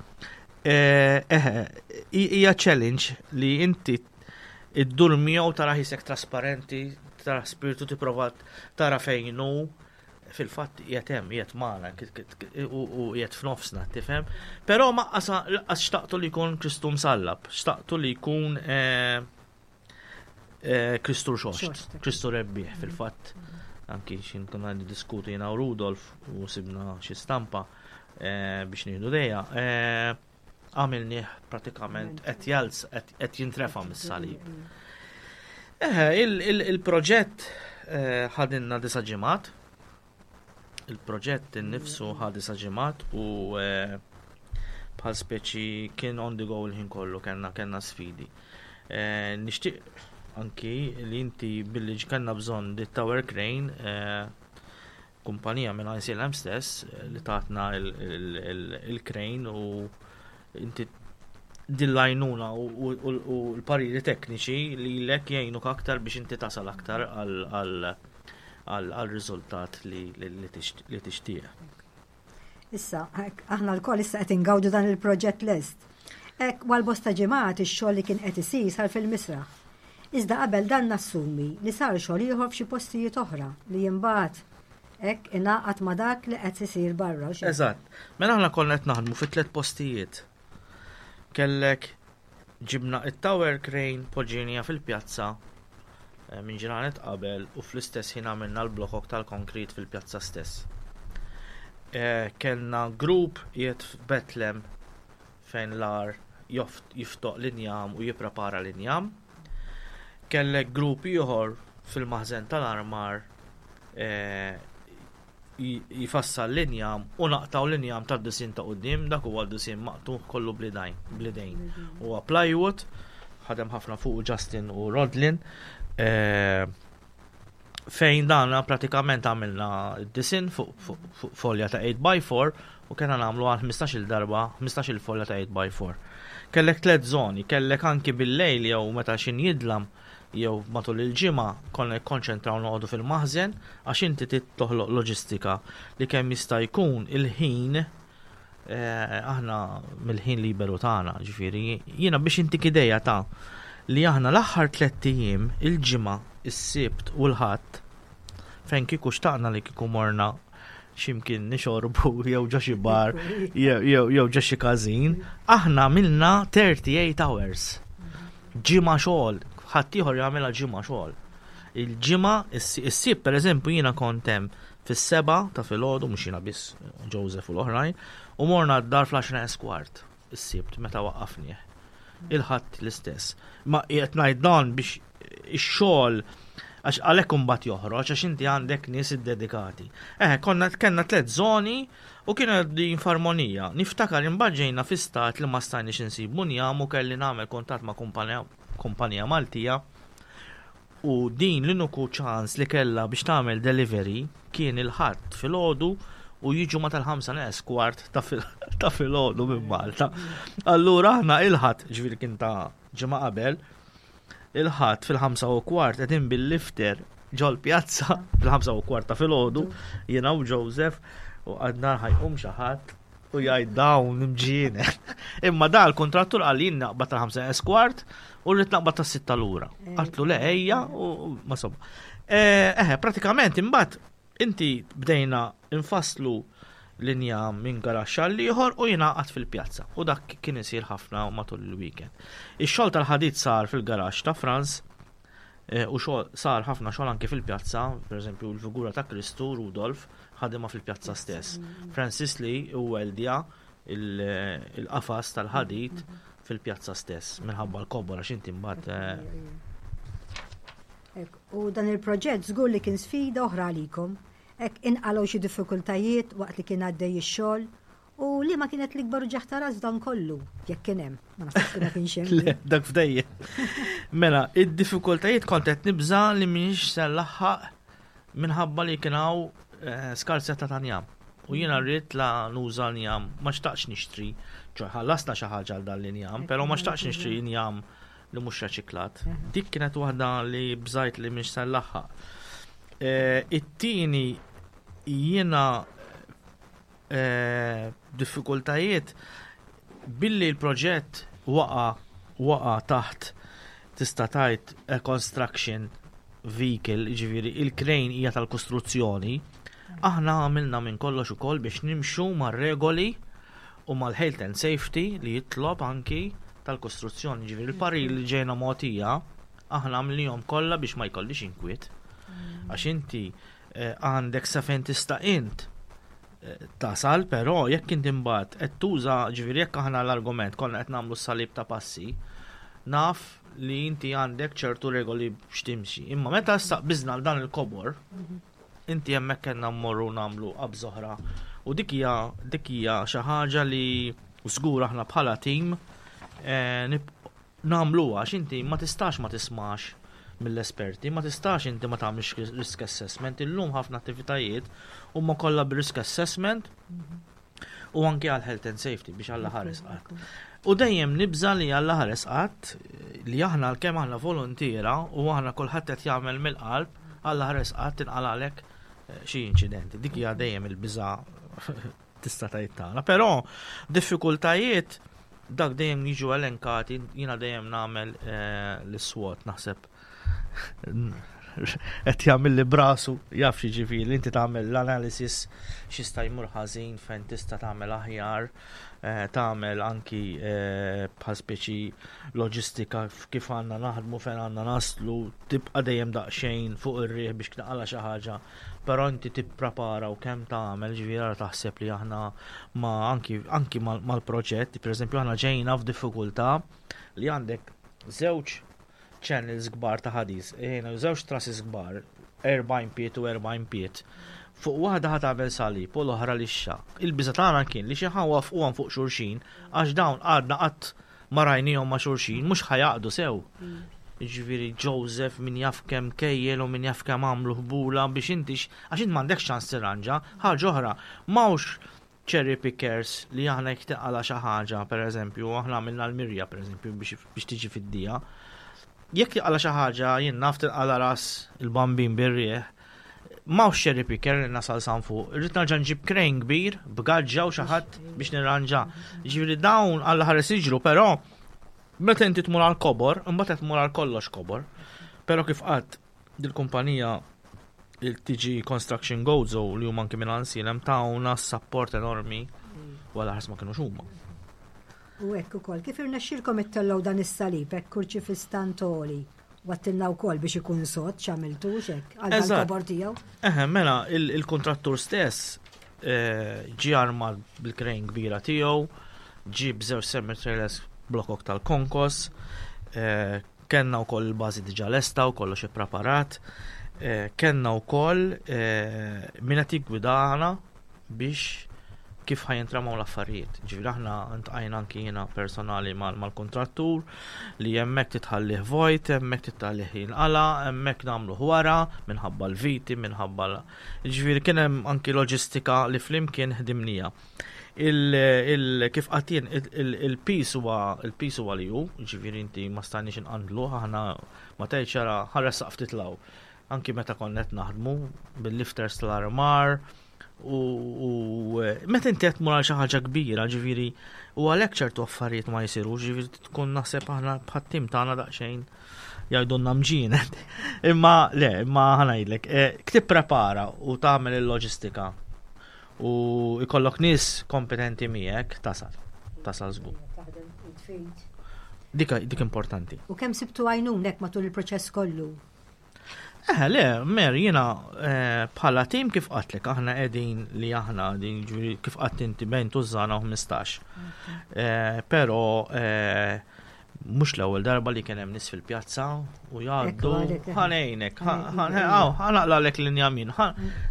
Eh, eh, hija challenge li inti iddur miegħu tara ħisek trasparenti, tara spiritu tipprova tara fejn hu fil-fatt qiegħed hemm, qiegħed magħna u qiegħed f'nofsna, tifhem? Però ma qas xtaqtu li jkun Kristu msallab, xtaqtu li jkun eh, eh, Kristu xoxt, Kristu rebbieħ fil-fatt. Anki xin konna diskutu jena u Rudolf u sibna xi stampa eh, biex nieħdu dejja. Eh, għamilnieh pratikament qed jalz qed jintrefa' mis-salib. Eħe, il-proġett ħadinna disa' ġimgħat. Il-proġett innifsu ħa disa' ġimgħat u eh, bħal speċi kien on the go il-ħin kollu kellna kellna sfidi. Eh, nixtieq anki li inti billi kellna bżonn di tower crane eh, kumpanija minn ICLM stess li tatna il-crane u inti Din l-għajnuna u l-pariri tekniċi li lek jgħinuk aktar biex inti tasal aktar għal riżultat li tixtieq. Issa, aħna lkoll issa qed ingawdu dan il-proġett lest. Hekk għal bosta ġimgħat ix-xogħol li kien qed isir sar fil-misraħ. Iżda qabel dan nassumi li sar xogħol ieħor f'xi postijiet oħra li imbagħad hekk ingħaqad ma' dak li qed isir barra. Eżatt. Mela aħna konna qed naħdmu fi tliet postijiet. Kellek ġibna it-tower crane poġġejnieha fil-pjazza eh, minn ġranet qabel u fl-istess ħin għamilna l-blokok tal-konkrit fil-pjazza stess. Eh, kellna grupp jiet f'Betlem fejn l-ar jiftoq l-injam u jipprepara l-injam. Kellek grupp ieħor fil-maħżen tal-armar eh, jfassal l-injam u naqtgħu l-injam tad-disinn ta' quddiem, dak huwa disinn maqtugħ kollu bl-idejn. Bl-idejn. Huwa plywood, ħadem ħafna fuq Justin u Rodlin. Eh, fejn dan pratikament għamilna d-disinn fuq folja ta' 8x4 u kena nagħmlu għal 15 darba, 15 folja ta' 8x4. Kellek tliet zoni, kellek anki bil-lejl jew meta xin jidlam jew matul il-ġimgħa konna nikkonċentraw noqogħdu fil-maħżen għax inti trid toħloq loġistika li kemm jista' jkun il-ħin eh, aħna mill-ħin liberu tagħna, ġifieri jiena biex intik idea ta' li aħna l-aħħar tlett ijiem il-ġimgħa, is-Sibt u l-Ħadd fejn kieku xtaqna li kieku morna ximkien nixorbu jew ġo xi bar jew ġo xi każin, aħna għamilna 38 hours. Ġimgħa xogħol, ħaddieħor jagħmilha ġimgħa xogħol. Il-ġimgħa, is-Sibt pereżempju jiena kont hemm fis-7 ta' filgħodu mhux jiena biss Joseph u l-oħrajn, u morna d-dar fl-10 kwart is-Sibt meta waqqafnieh. Il-Ħadd l-istess. Ma qed ngħid dan biex ix-xogħol għax għalhekk imbagħad joħroġ għax inti għandek nies iddedikati. Eh, konna kellna tliet żoni u kienu din f'armonija. Niftakar imbagħad ġejna fi stat li ma stajniex insibu njam u kelli nagħmel kuntatt ma' kumpanija Maltija u din l-uniku ċans li kellha biex tagħmel delivery kien il-Ħadd filgħodu u jiġu ma tal-5 neqes kwart ta' filgħodu minn Malta. Allura aħna il-Ħadd, ġifieri kien ta' ġimgħa qabel, il-Ħadd fil-5 u kwart qegħdin bil-lifter ġol-pjazza fil-5 u kwart ta' filgħodu jiena u Joseph u għadna ħa jqum xi ħadd u jgħid dawn imġiene. Imma da l-kontrattur qal jien naqbad tal-5 kwart u rrid naqbad tas-6 lura. Għedtlu le ejja u ma somma. Eħe, pratikament imbagħad inti bdejna infasslu linja minn garaxx għal ieħor u jingħaqad fil-pjazza. U dak kien isir ħafna matul il-weekend. Ix-xogħol tal-ħadid sar fil-garaxx ta' Franz u xogħol sar ħafna xogħol anke fil-pjazza, pereżempju l-figura ta' Kristu Rudolf ħadimha fil-pjazza stess. Francis li weldja il-qafas tal-ħadid fil-pjazza stess minħabba l-kobor għax inti mbagħad U dan il-proġett żgur li kien sfida oħra għalikom. Hekk inqalgħu xi diffikultajiet waqt li kien għaddej ix-xogħol u li ma kienet l-ikbar uġigħ ta' ras dan kollu, jekk kien hemm. Ma nafx ma kienx hemm. Le, dak f'dejjem. Mela, id-diffikultajiet kont qed nibża li m'iniex se nlaħħaq minħabba li kien hawn skarsezza ta' njam. U jiena rrid la nuża njam, ma xtaqx nixtri, ċoè ħallasna xi ħaġa għal dan l-injam, però ma xtaqx nixtri njam li mhux reċiklat. Dik kienet waħda li bżajt li mhix se nlaħħaq. It-tieni jiena diffikultajiet billi l-proġett waqa taħt tista' tgħid a construction vehicle, ġifieri il-crane hija tal-kostruzzjoni, aħna għamilna minn kollox ukoll biex nimxu mar-regoli u mal-health and safety li jitlob anki tal-kostruzzjoni. Ġifieri il-parir li ġejna mogħtija aħna għamilnihom kollha biex ma jkollix inkwiet. Għax inti għandek sa fejn tista' int tasal, però jekk inti mbagħad qed tuża, ġifieri jekk aħna l-argument konna qed nagħmlu s-salib ta' passi, naf li inti għandek ċertu regoli biex timxi. Imma meta issa biżna dan il-kobor, inti hemmhekk kellna mmorru nagħmlu qabża oħra. U dik hija xi ħaġa li żgur aħna bħala tim nagħmluha għax inti ma tistax ma tismax mill-esperti, ma tistax inti ma tagħmilx risk assessment. Illum ħafna attivitajiet huma kollha b'risk assessment. U anki għal health and safety biex Alla ħares qatt. U dejjem nibża li Alla ħares qatt li aħna għalkemm aħna volontiera u aħna kulħadd qed jagħmel mill-qalb, Alla ħares qatt tinqalalek eh, xi inċidenti. Dik hija dejjem il-biża tista' tgħid tagħna. Però diffikultajiet dak dejjem jiġu elenkati, jiena dejjem nagħmel eh, l-SWOT naħseb qed jagħmel li brasu jaf jiġifieri inti tagħmel l-analysis x'jista' jmur ħażin fejn tista' tagħmel aħjar, eh, tagħmel anki eh, bħal speċi loġistika kif għandna naħdmu fejn għandna naslu, tibqa' dejjem daqsxejn fuq ir-riħ biex tnaqala xi ħaġa, però inti tipprepara u kemm tagħmel ġifieri ara taħseb li aħna ma anki anki mal-proġett, pereżempju aħna ġejna f'diffikultà li għandek żewġ channels kbar ta' ħadis, ejna żewġ trasses kbar, 40 piet u 40 piet. Fuq waħda ħa tagħmel salib u l-oħra lixxa. Il-biża tagħna kien li xi ħawafquhom fuq xulxin għax dawn għadna qatt ma rajnihom ma' xulxin mhux ħa jaqdu sew. Jiġifieri Joseph min jaf kemm kejjel u min jaf kemm għamlu ħbula biex inti għax int m'għandekx ċans tirranġa. Ħaġa oħra, m'hawnx cherry pickers li aħna jekk tinqala' xi ħaġa, pereżempju, aħna għamilna l-mirja pereżempju biex tiġi fid-dija. Jekk tinqala' xi ħaġa, jien naf tinqala' ras il-bambin bir-riħ, m'hawnx cherry picker li nasal san fuq, irrid nerġa' nġib crane kbir b'gaġġa u xi ħadd biex nirranġa. Ġifieri dawn Alla ħares jiġru, però meta inti tmur għal kobor, imbagħad qed tmur għal kollox kobor. Però kif qatt dil-kumpanija il-TG Construction Gozo li huma anki minn Ansilem tawna support enormi wara ħars ma kienux huma. U hekk ukoll kif irnexxielkom ittellgħu dan is-salib hekk kurċifistantoli wattilna wkoll biex ikun sod x'għamiltu hekk għal kobor tiegħu. Eħe, mela il-kontrattur stess eh, ġie armat bil-krejn kbira tiegħu, ġie b'żewġ semi trailers blokok tal-konkos, eh, Kellna wkoll il-bażi diġà lesta u kollox ippreparat. Eh, kellna wkoll eh, min qed jiggwidana biex kif ħajintramaw l-affarijiet. Ġifieri aħna ntqajna anki jiena personali mal-kontrattur li hemmhekk titħallih vojt, hemmhekk titħallih jinqala, hemmhekk nagħmlu wara minħabba l-viti, minħabba Ġifieri kien hemm anki loġistika li flimkien ħdimnija. Kif qatt jien il-pis huwa il-pis huwa li hu, ġifieri inti ma stajniex inqandlu, aħna ma tgħidx ara ħares ftit law. Anki meta konna qed naħdmu bil-lifters tal-armar u meta inti qed tmur għal xi ħaġa kbira, ġifieri u għalhekk ċertu affarijiet ma jsirux, ġifieri tkun naħseb aħna bħat-tim tagħna daqsxejn jgħidulna mġienet. Imma le, imma ħanajdlek, eh, ktipprepara u tagħmel il-loġistika U jkollok nies kompetenti miegħek tasal. Tasal żgur. Dik dik importanti. U kemm sibtu għajnunek matul il-proċess kollu? Eh, le, mer, jina eh, bħala tim kif qatlek, aħna qegħdin li aħna din ġifieri kif qatt inti bejn tużana u 15. Eh, pero eh, Mhux l-ewwel darba li kien hemm nies fil-pjazza u jgħaddu ħanejnek, ħanaqlalek linja min,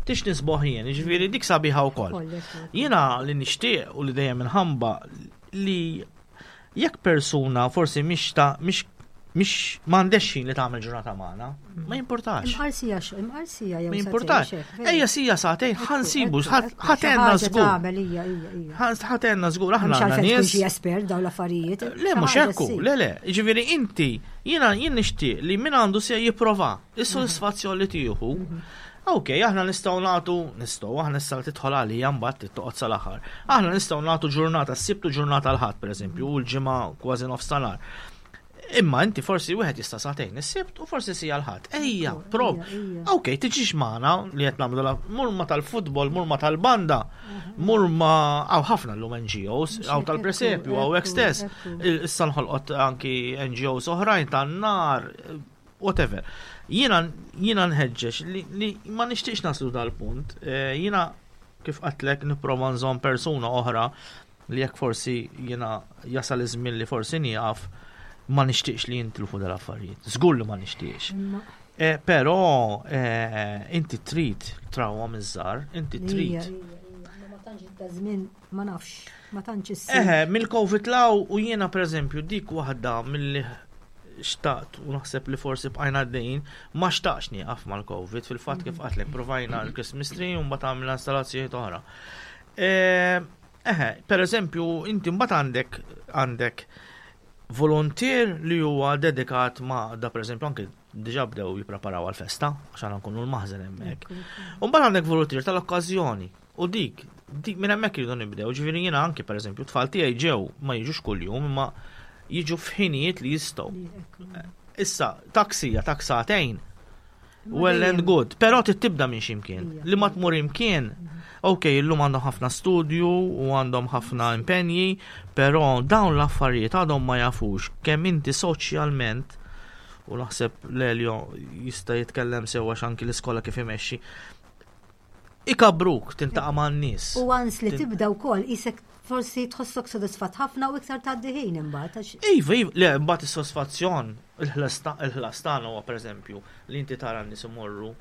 tix nisboħ jien, ġifieri dik sabiħa wkoll. Jiena li nixtieq u li dejjem inħamba li jekk persuna forsi mhix ta' mhix mhix m'għandex ħin li tagħmel ġurnata magħna, ma jimpurtax. Imqarsija imqarsija jew Ma jimpurtax. Ejja sija sagħtejn ħansibu, ħatenna żgur. Ħatenna żgur aħna għandna nies. Xi espert dawn l-affarijiet. Le mhux hekk, le le. Jiġifieri inti jiena jien nixtieq li min għandu se jipprova is-sodisfazzjon li tieħu. Mhm. Ok, aħna nistgħu nagħtu, nistgħu aħna nistgħu tidħol għalija mbagħad toqgħod sal-aħħar. Aħna nistgħu nagħtu ġurnata s-Sibt u ġurnata l-Ħadd pereżempju, u l-ġimgħa kważi nofs ta' nhar. Imma inti forsi wieħed jista' sagħtejn is-Sibt u forsi sija l-Ħadd. Ejja, prob. Ok, tiġix magħna li qed nagħmlu mur ma tal-futbol, mur ma tal-banda, mur ma hawn ħafna llum NGOs, hawn tal-presepju, hawn hekk stess. Issa nħolqot anki NGOs oħrajn tan-nar, whatever. Jiena jiena nħeġġeġ li ma nixtieqx naslu dal-punt. Eh, jiena kif qatlek nipprova nżomm persuna oħra li jekk forsi jiena jasal iż-żmien li forsi nieqaf ma nixtieqx li jintilfu dal-affarijiet. Żgur li ma nixtieqx. Eh, però eh, inti trid trawha miż-żar, inti trid. Ma tantx ta' żmien ma nafx, ma tantx issir. Eħe, mill-Covid law u jiena pereżempju dik waħda milli xtaqt u naħseb li forsi bqajna għaddejjin, ma xtaqx nieqaf mal-Covid, fil-fatt kif qatlek provajna l-Christmas tree u mbagħad għamilna installazzjonijiet oħra. Eh, Eħe, per eżempju, inti mbagħad għandek għandek volontier li huwa dedikat ma' da per eżempju anke diġà bdew jippreparaw għal-festa, għax għandna nkunu l-maħżen hemmhekk. U mbagħad għandek volontier tal-okkażjoni u dik, dik minn hemmhekk iridu nibdew, ġifieri jiena anke pereżempju tfal tiegħi ġew ma jiġux kuljum imma jiġu f'ħinijiet li jistgħu. Issa, taksija, taksatejn, well and good, però tibda minn ximkien. Li ma tmur imkien, ok, illum għandhom ħafna studju u għandhom ħafna impenji, però dawn l-affarijiet għadhom ma jafux kemm inti soċjalment u naħseb Lelio jista' jitkellem sewa anki l-iskola kif imexxi. Ikabruk tintaqa' man-nies. U għans li tibda wkoll isek forsi tħossok sodisfatt ħafna u iktar tgħaddi ħin imbagħad. Iva, iva, le mbagħad is-sodisfazzjon il-ħlas tagħna huwa pereżempju li inti tara n-nies imorru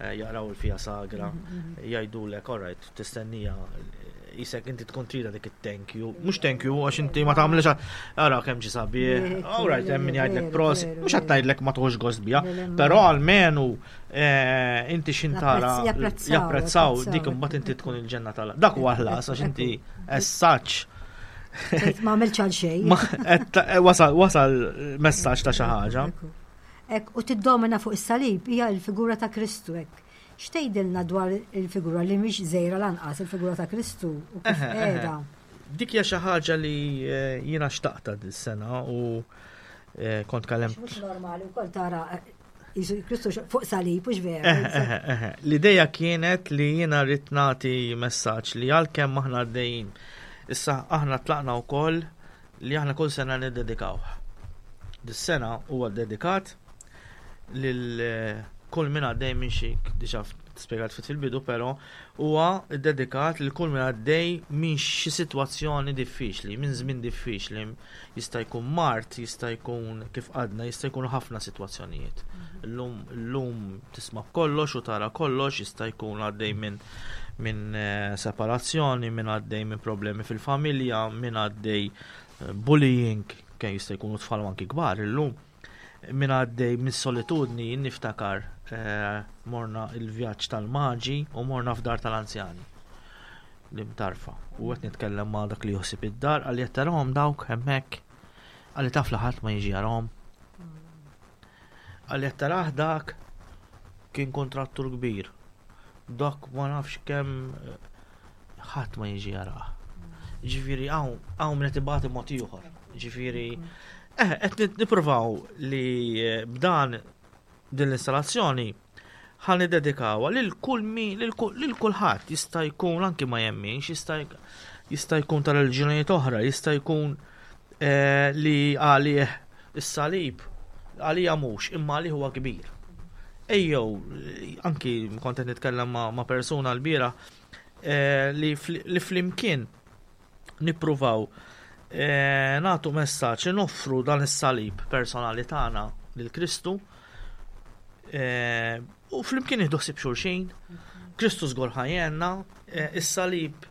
eh, jaqraw il-fija sagra, mhm, mhm. jgħidulek, all right, tistennija jisek inti tkun trida dik it-thank you. Mhux thank you għax inti ma tagħmilx ara kemm ġi sabiħ. All right, hemm min jgħidlek pros, mhux qed ngħidlek ma tħox gost biha, però almenu eh, inti xintara japprezzaw dik imbagħad inti tkun il-ġenna tal. Dak huwa ħlas għax inti as such. Ma għamilx għal xejn. Eh, wasal wasal messaġġ ta' xi ħaġa. Ek, u tiddomina fuq is-salib hija l-figura ta' Kristu hekk. X'tgħidilna dwar il-figura li mhix żgħira lanqas, il-figura ta' Kristu u kif qiegħda? Dik hija xi ħaġa li eh, jiena xtaqta dis-sena u eh, kont kalem. Mhux normali wkoll tara eh, Jisu Kristu fuq salib, mhux vera. L-ideja kienet li jiena rrid nagħti messaġġ li għalkemm aħna għaddejjin. Issa aħna tlaqna wkoll li aħna kull sena niddedikaw. Dis-sena huwa dedikat lil eh, kull min għaddej minn xi diġà spjegat fit fil-bidu, però huwa dedikat lil kull min għaddej minn xi sitwazzjoni diffiċli, minn żmien diffiċli, jista' jkun mart, jista' jkun kif għadna, jista' jkun ħafna sitwazzjonijiet. Illum illum tisma' kollox u tara kollox, jista' jkun għaddej minn minn eh, separazzjoni, minn għaddej minn problemi fil-familja, minn għaddej eh, bullying, kemm jista' jkunu tfal anki kbar illum Min għaddej mis-solitudni jien niftakar eh, morna il-vjaġġ tal-maġi u morna f'dar tal-anzjani l-imtarfa. U qed nitkellem ma' dak li joħsib id-dar għalli qed tarahom dawk hemmhekk għalli taf li ħadd ma jiġi jarahom. Għalli qed tarah dak kien kontrattur kbir. Dak ma nafx kemm eh, ħadd ma jiġi jarah. Ġifieri hawn hawn min qed ibati mod ieħor. Ġifieri eh, qed nippruvaw li eh, b'dan din l-installazzjoni ħan niddedikawha lil kull mi lil kulħadd jista' jkun anki ma jemminx, jista' jista' jkun ta' reliġjonijiet oħra, jista' jkun eh, li għalih is-salib għalija mhux, imma għalih huwa kbir. Ejjew, anki kont qed nitkellem ma' persuna l-bieraħ eh, li flimkien nippruvaw eh, nagħtu messaġġ li noffru dan is-salib personali tagħna lil Kristu eh, u flimkien nieħdu ħsieb xulxin. Kristu żgur ħajjenna, is-salib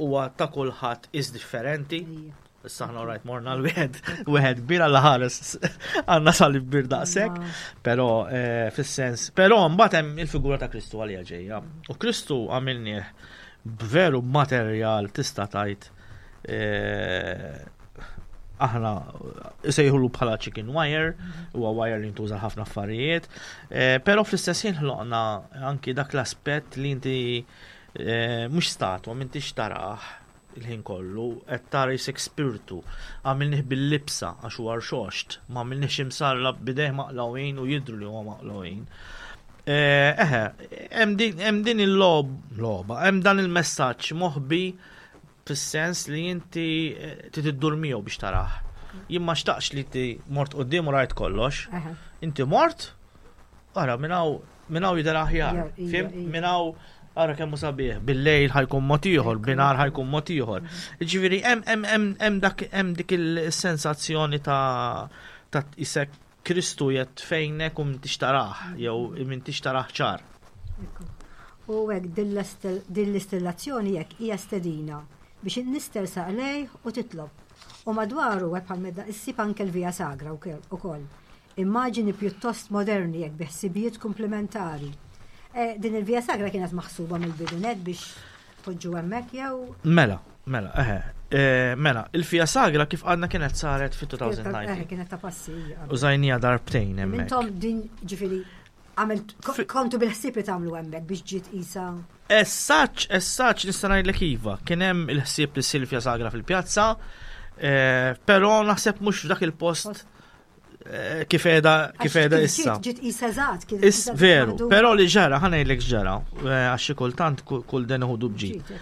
huwa ta' kulħadd is differenti. Issa ħna rajt morna l-wieħed, wieħed kbir għalla ħares għandna salib kbir daqshekk, però eh, fis-sens, però mbagħad hemm il-figura ta' Kristu għalija ġejja. U Kristu għamilnieh b'veru materjal tista' tgħid eh, aħna sejħulu bħala chicken wire, huwa wire li ntuża ħafna affarijiet, eh, però fl-istess ħin ħloqna anki dak l-aspett li inti mhux statwa m'intix tarah il-ħin kollu, qed tara jisek spirtu, għamilnih bil-libsa għax huwa rxoxt, ma għamilniex imsarrab bidejh maqlawin u jidhru li huwa maqlawin. Eh, eħe, hemm din il-logħba, hemm dan il-messaġġ moħbi fis-sens li inti eh, trid iddur miegħu biex tarah. Jien ma xtaqx li inti mort quddiem u rajt kollox. Inti mort, ara minn hawn Minn hawn jidher aħjar. Fim? Minn hawn ara kemm sabiħ, bil-lejl ħajkun mod ieħor, binhar ħajkun mod ieħor. Ġifieri hemm hemm dak hemm dik il-sensazzjoni ta' ta' isek Kristu jett fejnek u m'intix tarah jew m'intix tarah ċar. U hekk din l-istillazzjoni hekk hija stedina biex in-nies tersaq lejh u titlob. U madwaru hekk bħal medda issib anke l-Via Sagra wkoll. Immaġini pjuttost moderni jekk bi ħsibijiet kumplimentari. Eh, din il-Via Sagra kienet maħsuba mill-bidu net biex poġġu hemmhekk jew? Mela. Mela, eħe. Eh, mela, il-Fia Sagra kif għadna kienet saret fit-2019. Eħe, kienet ta' passi. Użajnija darbtejn hemmhekk. Intom din ġifieri għamilt kontu bil-ħsieb li tagħmlu hemmhekk biex ġiet isa. Essaċ, essaċ nista' ngħidlek iva, kien hemm il-ħsieb li ssir Fia Sagra fil-pjazza, eh, però naħseb mhux f'dak il-post Eh, kif qiegħda kif qiegħda issa. Ġiet qisha eżatt kien. Is veru, però li ġara ħa ngħidlek ġara eh, għax xi kultant kull den iħudu bġid.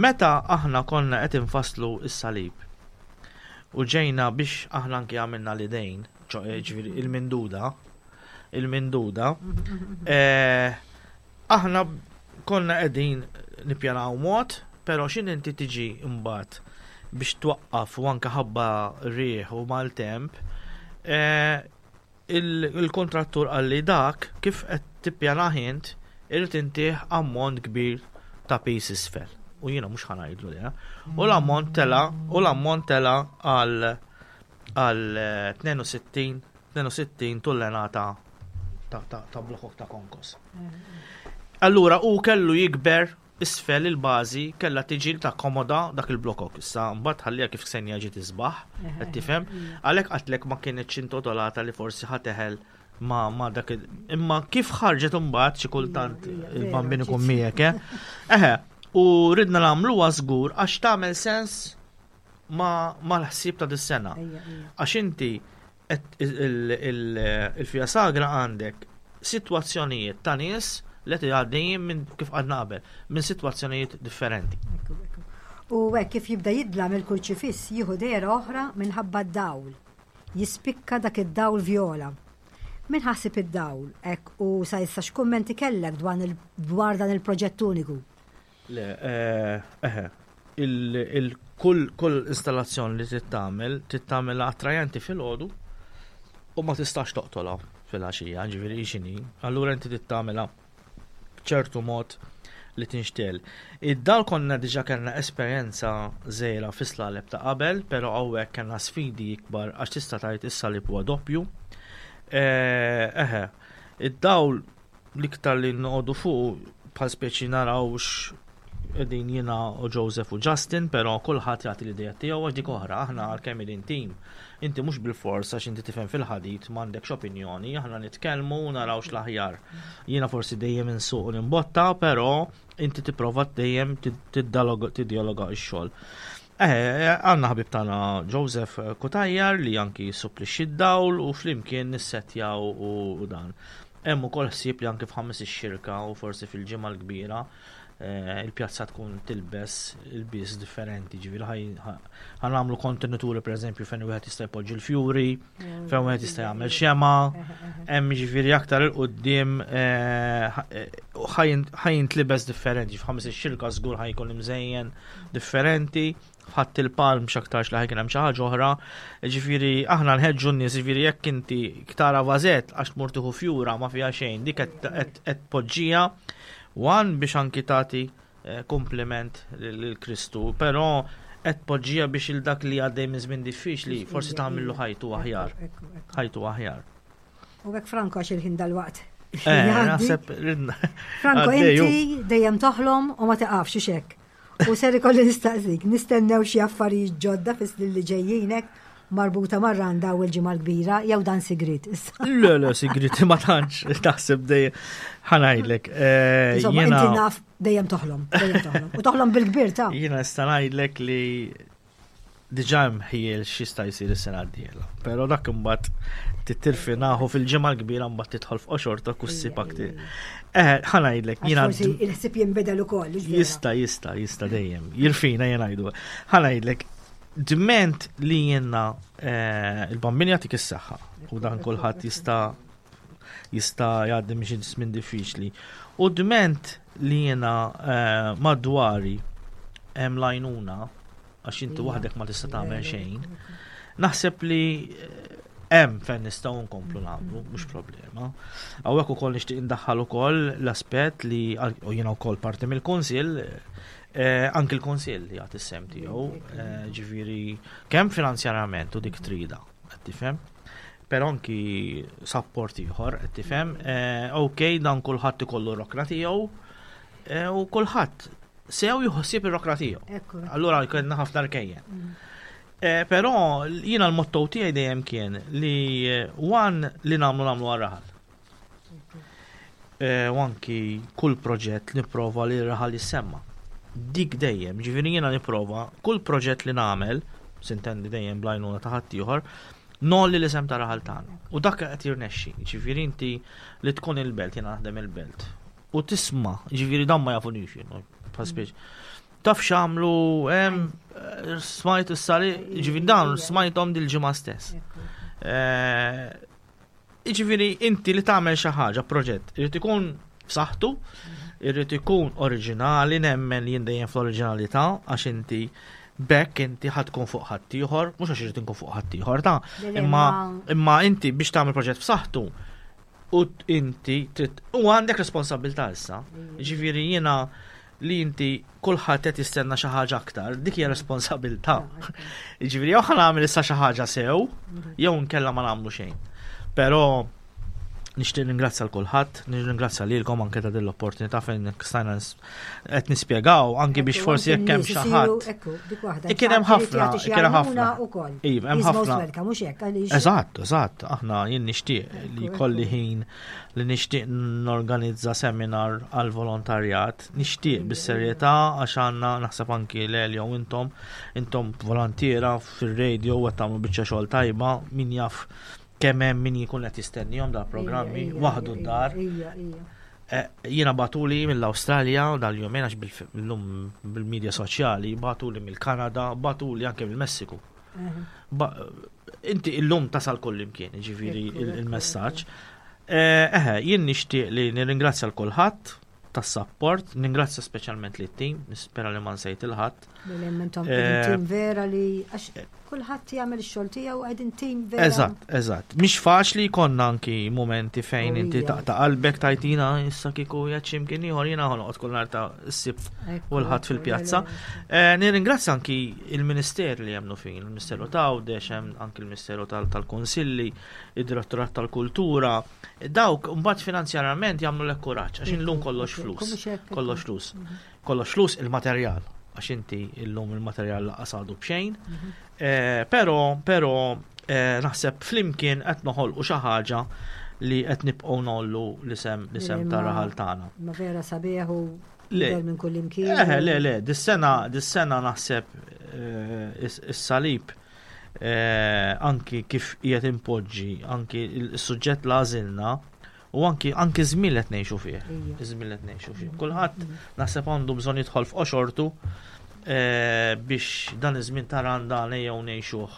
Meta aħna konna qed infasslu s-salib u ġejna biex aħna anki għamilna l-idejn, eh, ġifieri il-minduda, il-minduda, aħna konna qegħdin nippjanaw mod, però x'in inti tiġi mbagħad biex twaqqaf u anke ħabba riħ u maltemp, eh, il-kontrattur qalli dak kif qed tippjanah int irid intih ammont kbir ta' piż isfel. U jiena mhux ħa ngħidlu le. U l-ammont tela' u l-ammont tela' għal għal 62 62 tullenata ta' blokok ta' konkos. Allura u kellu jikber isfel il-bażi kellha tiġi li takkomoda dak il-blokok. Issa mbagħad ħalliha kif Ksenja ġiet isbaħ, qed tifhem? Għalhekk qatlek ma kinitx intotolata li forsi ħa teħel ma, ma dak imma kif ħarġet imbagħad xi kultant il-bambin ikun miegħek, eh? Eħe, u ridna nagħmluha żgur għax tagħmel sens ma mal-ħsieb ta' dis-sena. Għax inti Il-fija sagra għandek sitwazzjonijiet ta' nies li qed għaddejjin minn kif għadna qabel, minn sitwazzjonijiet differenti. U hekk kif jibda jidlam il-kurċifiss jieħu dehra oħra minħabba d-dawl. Jispikka dak id-dawl vjola. Min ħasib id-dawl hekk u sa issa x'kummenti kellek dwar dan il-proġett uniku? Le, eh, eħe, il-kull kull installazzjoni li trid tagħmel, trid tagħmilha attrajenti filgħodu u ma tistax toqtolha fil-għaxija, ġifieri x'inhi. Allura inti trid tagħmilha b'ċertu mod li tinxtel. Id-dal konna diġa kellna esperjenza żgħira fis-slaleb ta' qabel, però hawnhekk kellna sfidi ikbar għax tista' tgħid is-salib huwa doppju. Eh, eħe, id-dawl L-iktar li noqogħdu fuq bħal speċi naraw qegħdin jiena u Joseph u Justin, però kulħadd jagħti l-idea tiegħu għax dik oħra, aħna għalkemm qegħdin team. Inti mhux bilfors għax inti tifhem fil-ħadid m'għandekx opinjoni, aħna nitkellmu u naraw x'l-aħjar. Jiena forsi dejjem insuq u nimbotta, però inti tipprova dejjem tiddialoga x-xogħol. Eh, għandna ħabib tagħna Joseph Cutajar li anki jissupplixxi d-dawl u flimkien nissettjaw u dan. Hemm ukoll ħsieb li anki f'Ħamis ix-Xirka u forsi fil-Ġimgħa l-Kbira eh, il-pjazza tkun tilbes il-bies differenti, ġifieri ħa nagħmlu kontenituri pereżempju fejn wieħed jista' jpoġġi l-fjuri, fejn wieħed jista' jagħmel xema, hemm ġifieri aktar il quddiem eh, ħa jintlibes differenti, f'Ħamis ix-Xirka żgur ħa jkun imżejjen differenti, ħadd il-palm x'aktarx li ħajkun hemm xi ħaġa oħra. Ġifieri aħna nħeġġu n-nies, ġifieri jekk inti tara vażett għax tmur tieħu fjura ma fiha xejn, dik qed tpoġġiha one biex anki tagħti eh, kompliment lil Kristu, però qed tpoġġiha biex il dak li għaddej minn żmien diffiċli forsi tagħmillu ħajtu aħjar. Ħajtu aħjar. U hekk Franco għax il-ħin dal-waqt. Eh, naħseb Franco, inti dejjem toħlom u ma tiqafx xek. U ser ikolli nistaqsik, nistennew xi affarijiet ġodda fis-snin li ġejjinek marbuta mar-randa u l-ġimgħa l-kbira jew dan sigrit issa. Le, le, sigrit ma tantx taħseb dejjem ħanajdlek. Eh, Insomma, inti naf dejjem toħlom, dejjem toħlom. U toħlom bil-kbir ta' Jiena nista' ngħidlek li Diġà hemm ħjiel x'jista' jsir is-sena d-dieħla. Però dak imbagħad tittirfinahu fil-ġimgħa l-kbira mbagħad tidħol f'qoxortok u ssib aktar. Eh, ħa ngħidlek, jiena. Forsi il-ħsieb jinbidel ukoll. Jista' jista' jista' dejjem. Jirfina jien ngħidu. Ħa ngħidlek, dment li jiena eh, il-bambin jagħtik is-saħħa u dan kulħadd jista' jista' jgħaddi minn xi żmien diffiċli. U dment li jiena eh, madwari hemm l-għajnuna għax inti waħdek ma tista' tagħmel xejn. Naħseb li eh, hemm fejn nistgħu nkomplu nagħmlu, mhux problema. Hawnhekk ukoll nixtieq indaħħal ukoll l-aspett li u jiena wkoll parti mill-kunsill, eh, anki l-kunsill jagħti s-sem tiegħu, eh, ġifieri kemm finanzjarjament u dik trida, qed tifhem. Però anki sapport ieħor, qed tifhem, ok, dan kulħadd ikollu rokna tiegħu u kulħadd. sew jieħu ħsieb ir-rokna tiegħu. Allura kellna ħafna rkejjen. Eh, però jiena l-motto tiegħi dejjem kien li eh, one li nagħmlu nagħmlu għar-raħal. Eh, u anki kull proġett nipprova li r-raħal jissemma. Dik dejjem, ġifieri jiena nipprova kull proġett li nagħmel, sintendi dejjem blajnuna ta' ħaddieħor, nolli l-isem ta' raħal tagħna. U dak qed jirnexxi, ġifieri inti li tkun il-belt, jiena naħdem il-belt. U tisma', ġifieri dan ma jafunix jien, bħal Taf x'għamlu hemm eh, smajt is-sali, ġifieri dawn smajthom dil-ġimgħa stess. Eh, Jiġifieri inti li tagħmel xi ħaġa, proġett, irid ikun b'saħħtu, irid ikun oriġinali, nemmen li jien dejjem fl-oriġinalità għax inti bekk inti ħad tkun fuq ħaddieħor, mhux għax irid inkun fuq ħaddieħor ta' imma imma inti biex tagħmel proġett b'saħħtu u inti trid u għandek responsabilità issa. Ġifieri jiena li inti kulħadd qed jistenna xi ħaġa aktar, dik hija responsabilità. Jiġifieri jew ħa nagħmel issa xi ħaġa sew, jew nkella ma nagħmlu xejn. Però nixtieq ningrazzja l kulħadd, nirringrazzja lilkom anke ta' din l-opportunità fejn stajna qed nispjegaw anke biex forsi jekk hemm xi ħadd. Kien hemm ħafna, kien hemm ħafna. Iva, hemm ħafna. Eżatt, eżatt, aħna jien nixtieq li kolli ħin li nixtieq norganizza seminar għal volontarjat, nixtieq bis-serjetà għax għandna naħseb anki l jew intom, intom volontiera fir-radio u qed tagħmlu biċċa xogħol tajba, min jaf kemm hemm min jkun qed jistennihom dal-programmi waħdu d-dar. Eh, jiena batuli mill-Awstralja dal-jumejn għax bil-lum bil-medja soċjali, batuli mill-Kanada, batuli anke mill-Messiku. Inti illum tasal kull imkien, ġifiri il-messaġġ. Eh, eħe, jien nixtieq li nirringrazzja l kulħadd tas-support, ningrazzja speċjalment li tim nispera li ma nsejt il-ħadd. Eh, tim vera li għax kulħadd jagħmel ix-xogħol tiegħu qegħdin tim vera. Eżatt, eżatt. Mhix faċli jkollna anki momenti fejn inti taqta' qalbek tajtina issa kieku jgħid x'imkien ieħor jiena ħanoqgħod kull nhar ta' s-sibt u l-ħadd fil-pjazza. Eh, nirringrazzja anki il-Minister li jemnu fin, il-Ministeru ta' Għawdex, hemm anki il-Ministeru tal-Konsilli, id-Direttorat tal-Kultura, dawk mbagħad finanzjarjament jagħmlu lek kuraġġ għax illum kollox flus, kollox flus. Mhm. Kollox flus il-materjal, għax inti illum il-materjal laqas għadu b'xejn. Mhm. Eh, però, però eh, naħseb flimkien qed noħolqu xi ħaġa li qed nibqgħu nollu l-isem l-isem ta' raħal tagħna. Ma vera sabiħ u minn kull imkien. Eh, le, le, dis-sena, dis-sena naħseb eh, is-salib anki kif qiegħed impoġġi, anki il-suġġett l-għażilna U anki anki żmien li qed ngħixu fih. Iż-żmien li qed ngħixu fih. Kulħadd naħseb għandu bżonn jidħol f'qoxortu eh, biex dan iż-żmien ta' Randan ejjew ngħixuh.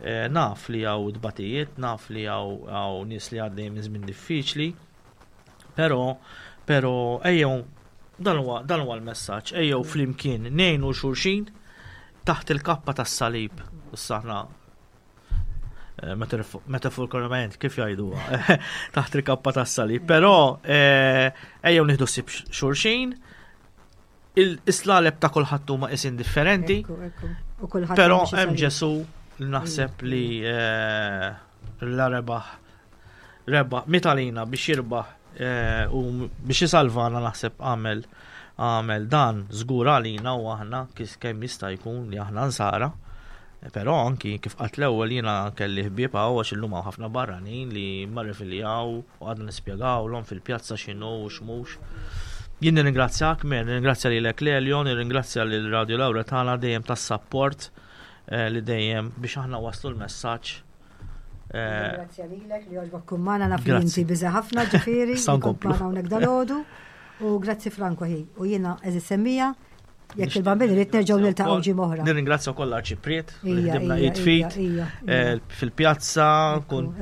Eh, naf li hawn tbatijiet, naf li hawn nies li għaddej minn żmien diffiċli, però però ejjew dan huwa dan huwa l-messaġġ, ejjew flimkien ngħinu xulxin taħt il-kappa tas-salib. Issa aħna Eh, metaforikament kif jgħidu taħt il-kappa tas-salib, però eh, ejjew nieħdu sib xulxin, il-islaleb ta' kulħadd huma isin differenti. Però hemm Ġesu li naħseb li eh, la rebaħ rebaħ mitalina biex jirbaħ u biex jisalvana naħseb għamel għamel dan żgur għalina u aħna kif kemm jista' jkun li aħna nsara. Però anki kif qatt l-ewwel jiena kelli ħbieb hawn għax illum hawn ħafna barranin li ma rifiljaw u għadna nispjegawlhom fil-pjazza x'inhu u x'mhux. Jien nirringrazzjak, Mer, nirringrazzja lilek Lelio, nirringrazzja lil Radio Laura tagħna dejjem tas-sapport eh, li dejjem biex aħna waslu l-messaġġ Eh, Grazie lilek li għoġbok kummana naf li inti biża ħafna ġifieri. Sankomplu. Hawnhekk dalodu. U grazzi Franco ħi. U jiena eżi semmija jekk il-bambini rrid nerġgħu niltaqgħu ġimgħa oħra. Nirringrazzja wkoll l-Arċipriet li ħdimna id fit eh, fil-pjazza kun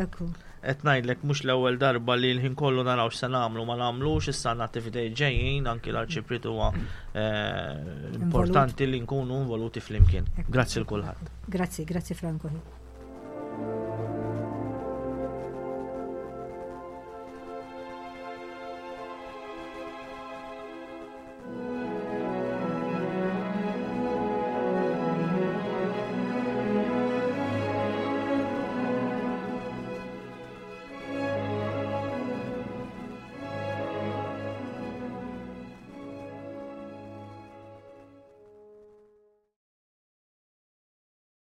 qed ngħidlek mhux l-ewwel darba li l-ħin kollu naraw x'se nagħmlu ma nagħmlux issa għandna attivitajiet ġejjin anki l-Arċipriet huwa eh, importanti li nkunu involuti flimkien. Grazzi l kulħadd. Grazzi, grazzi Franco.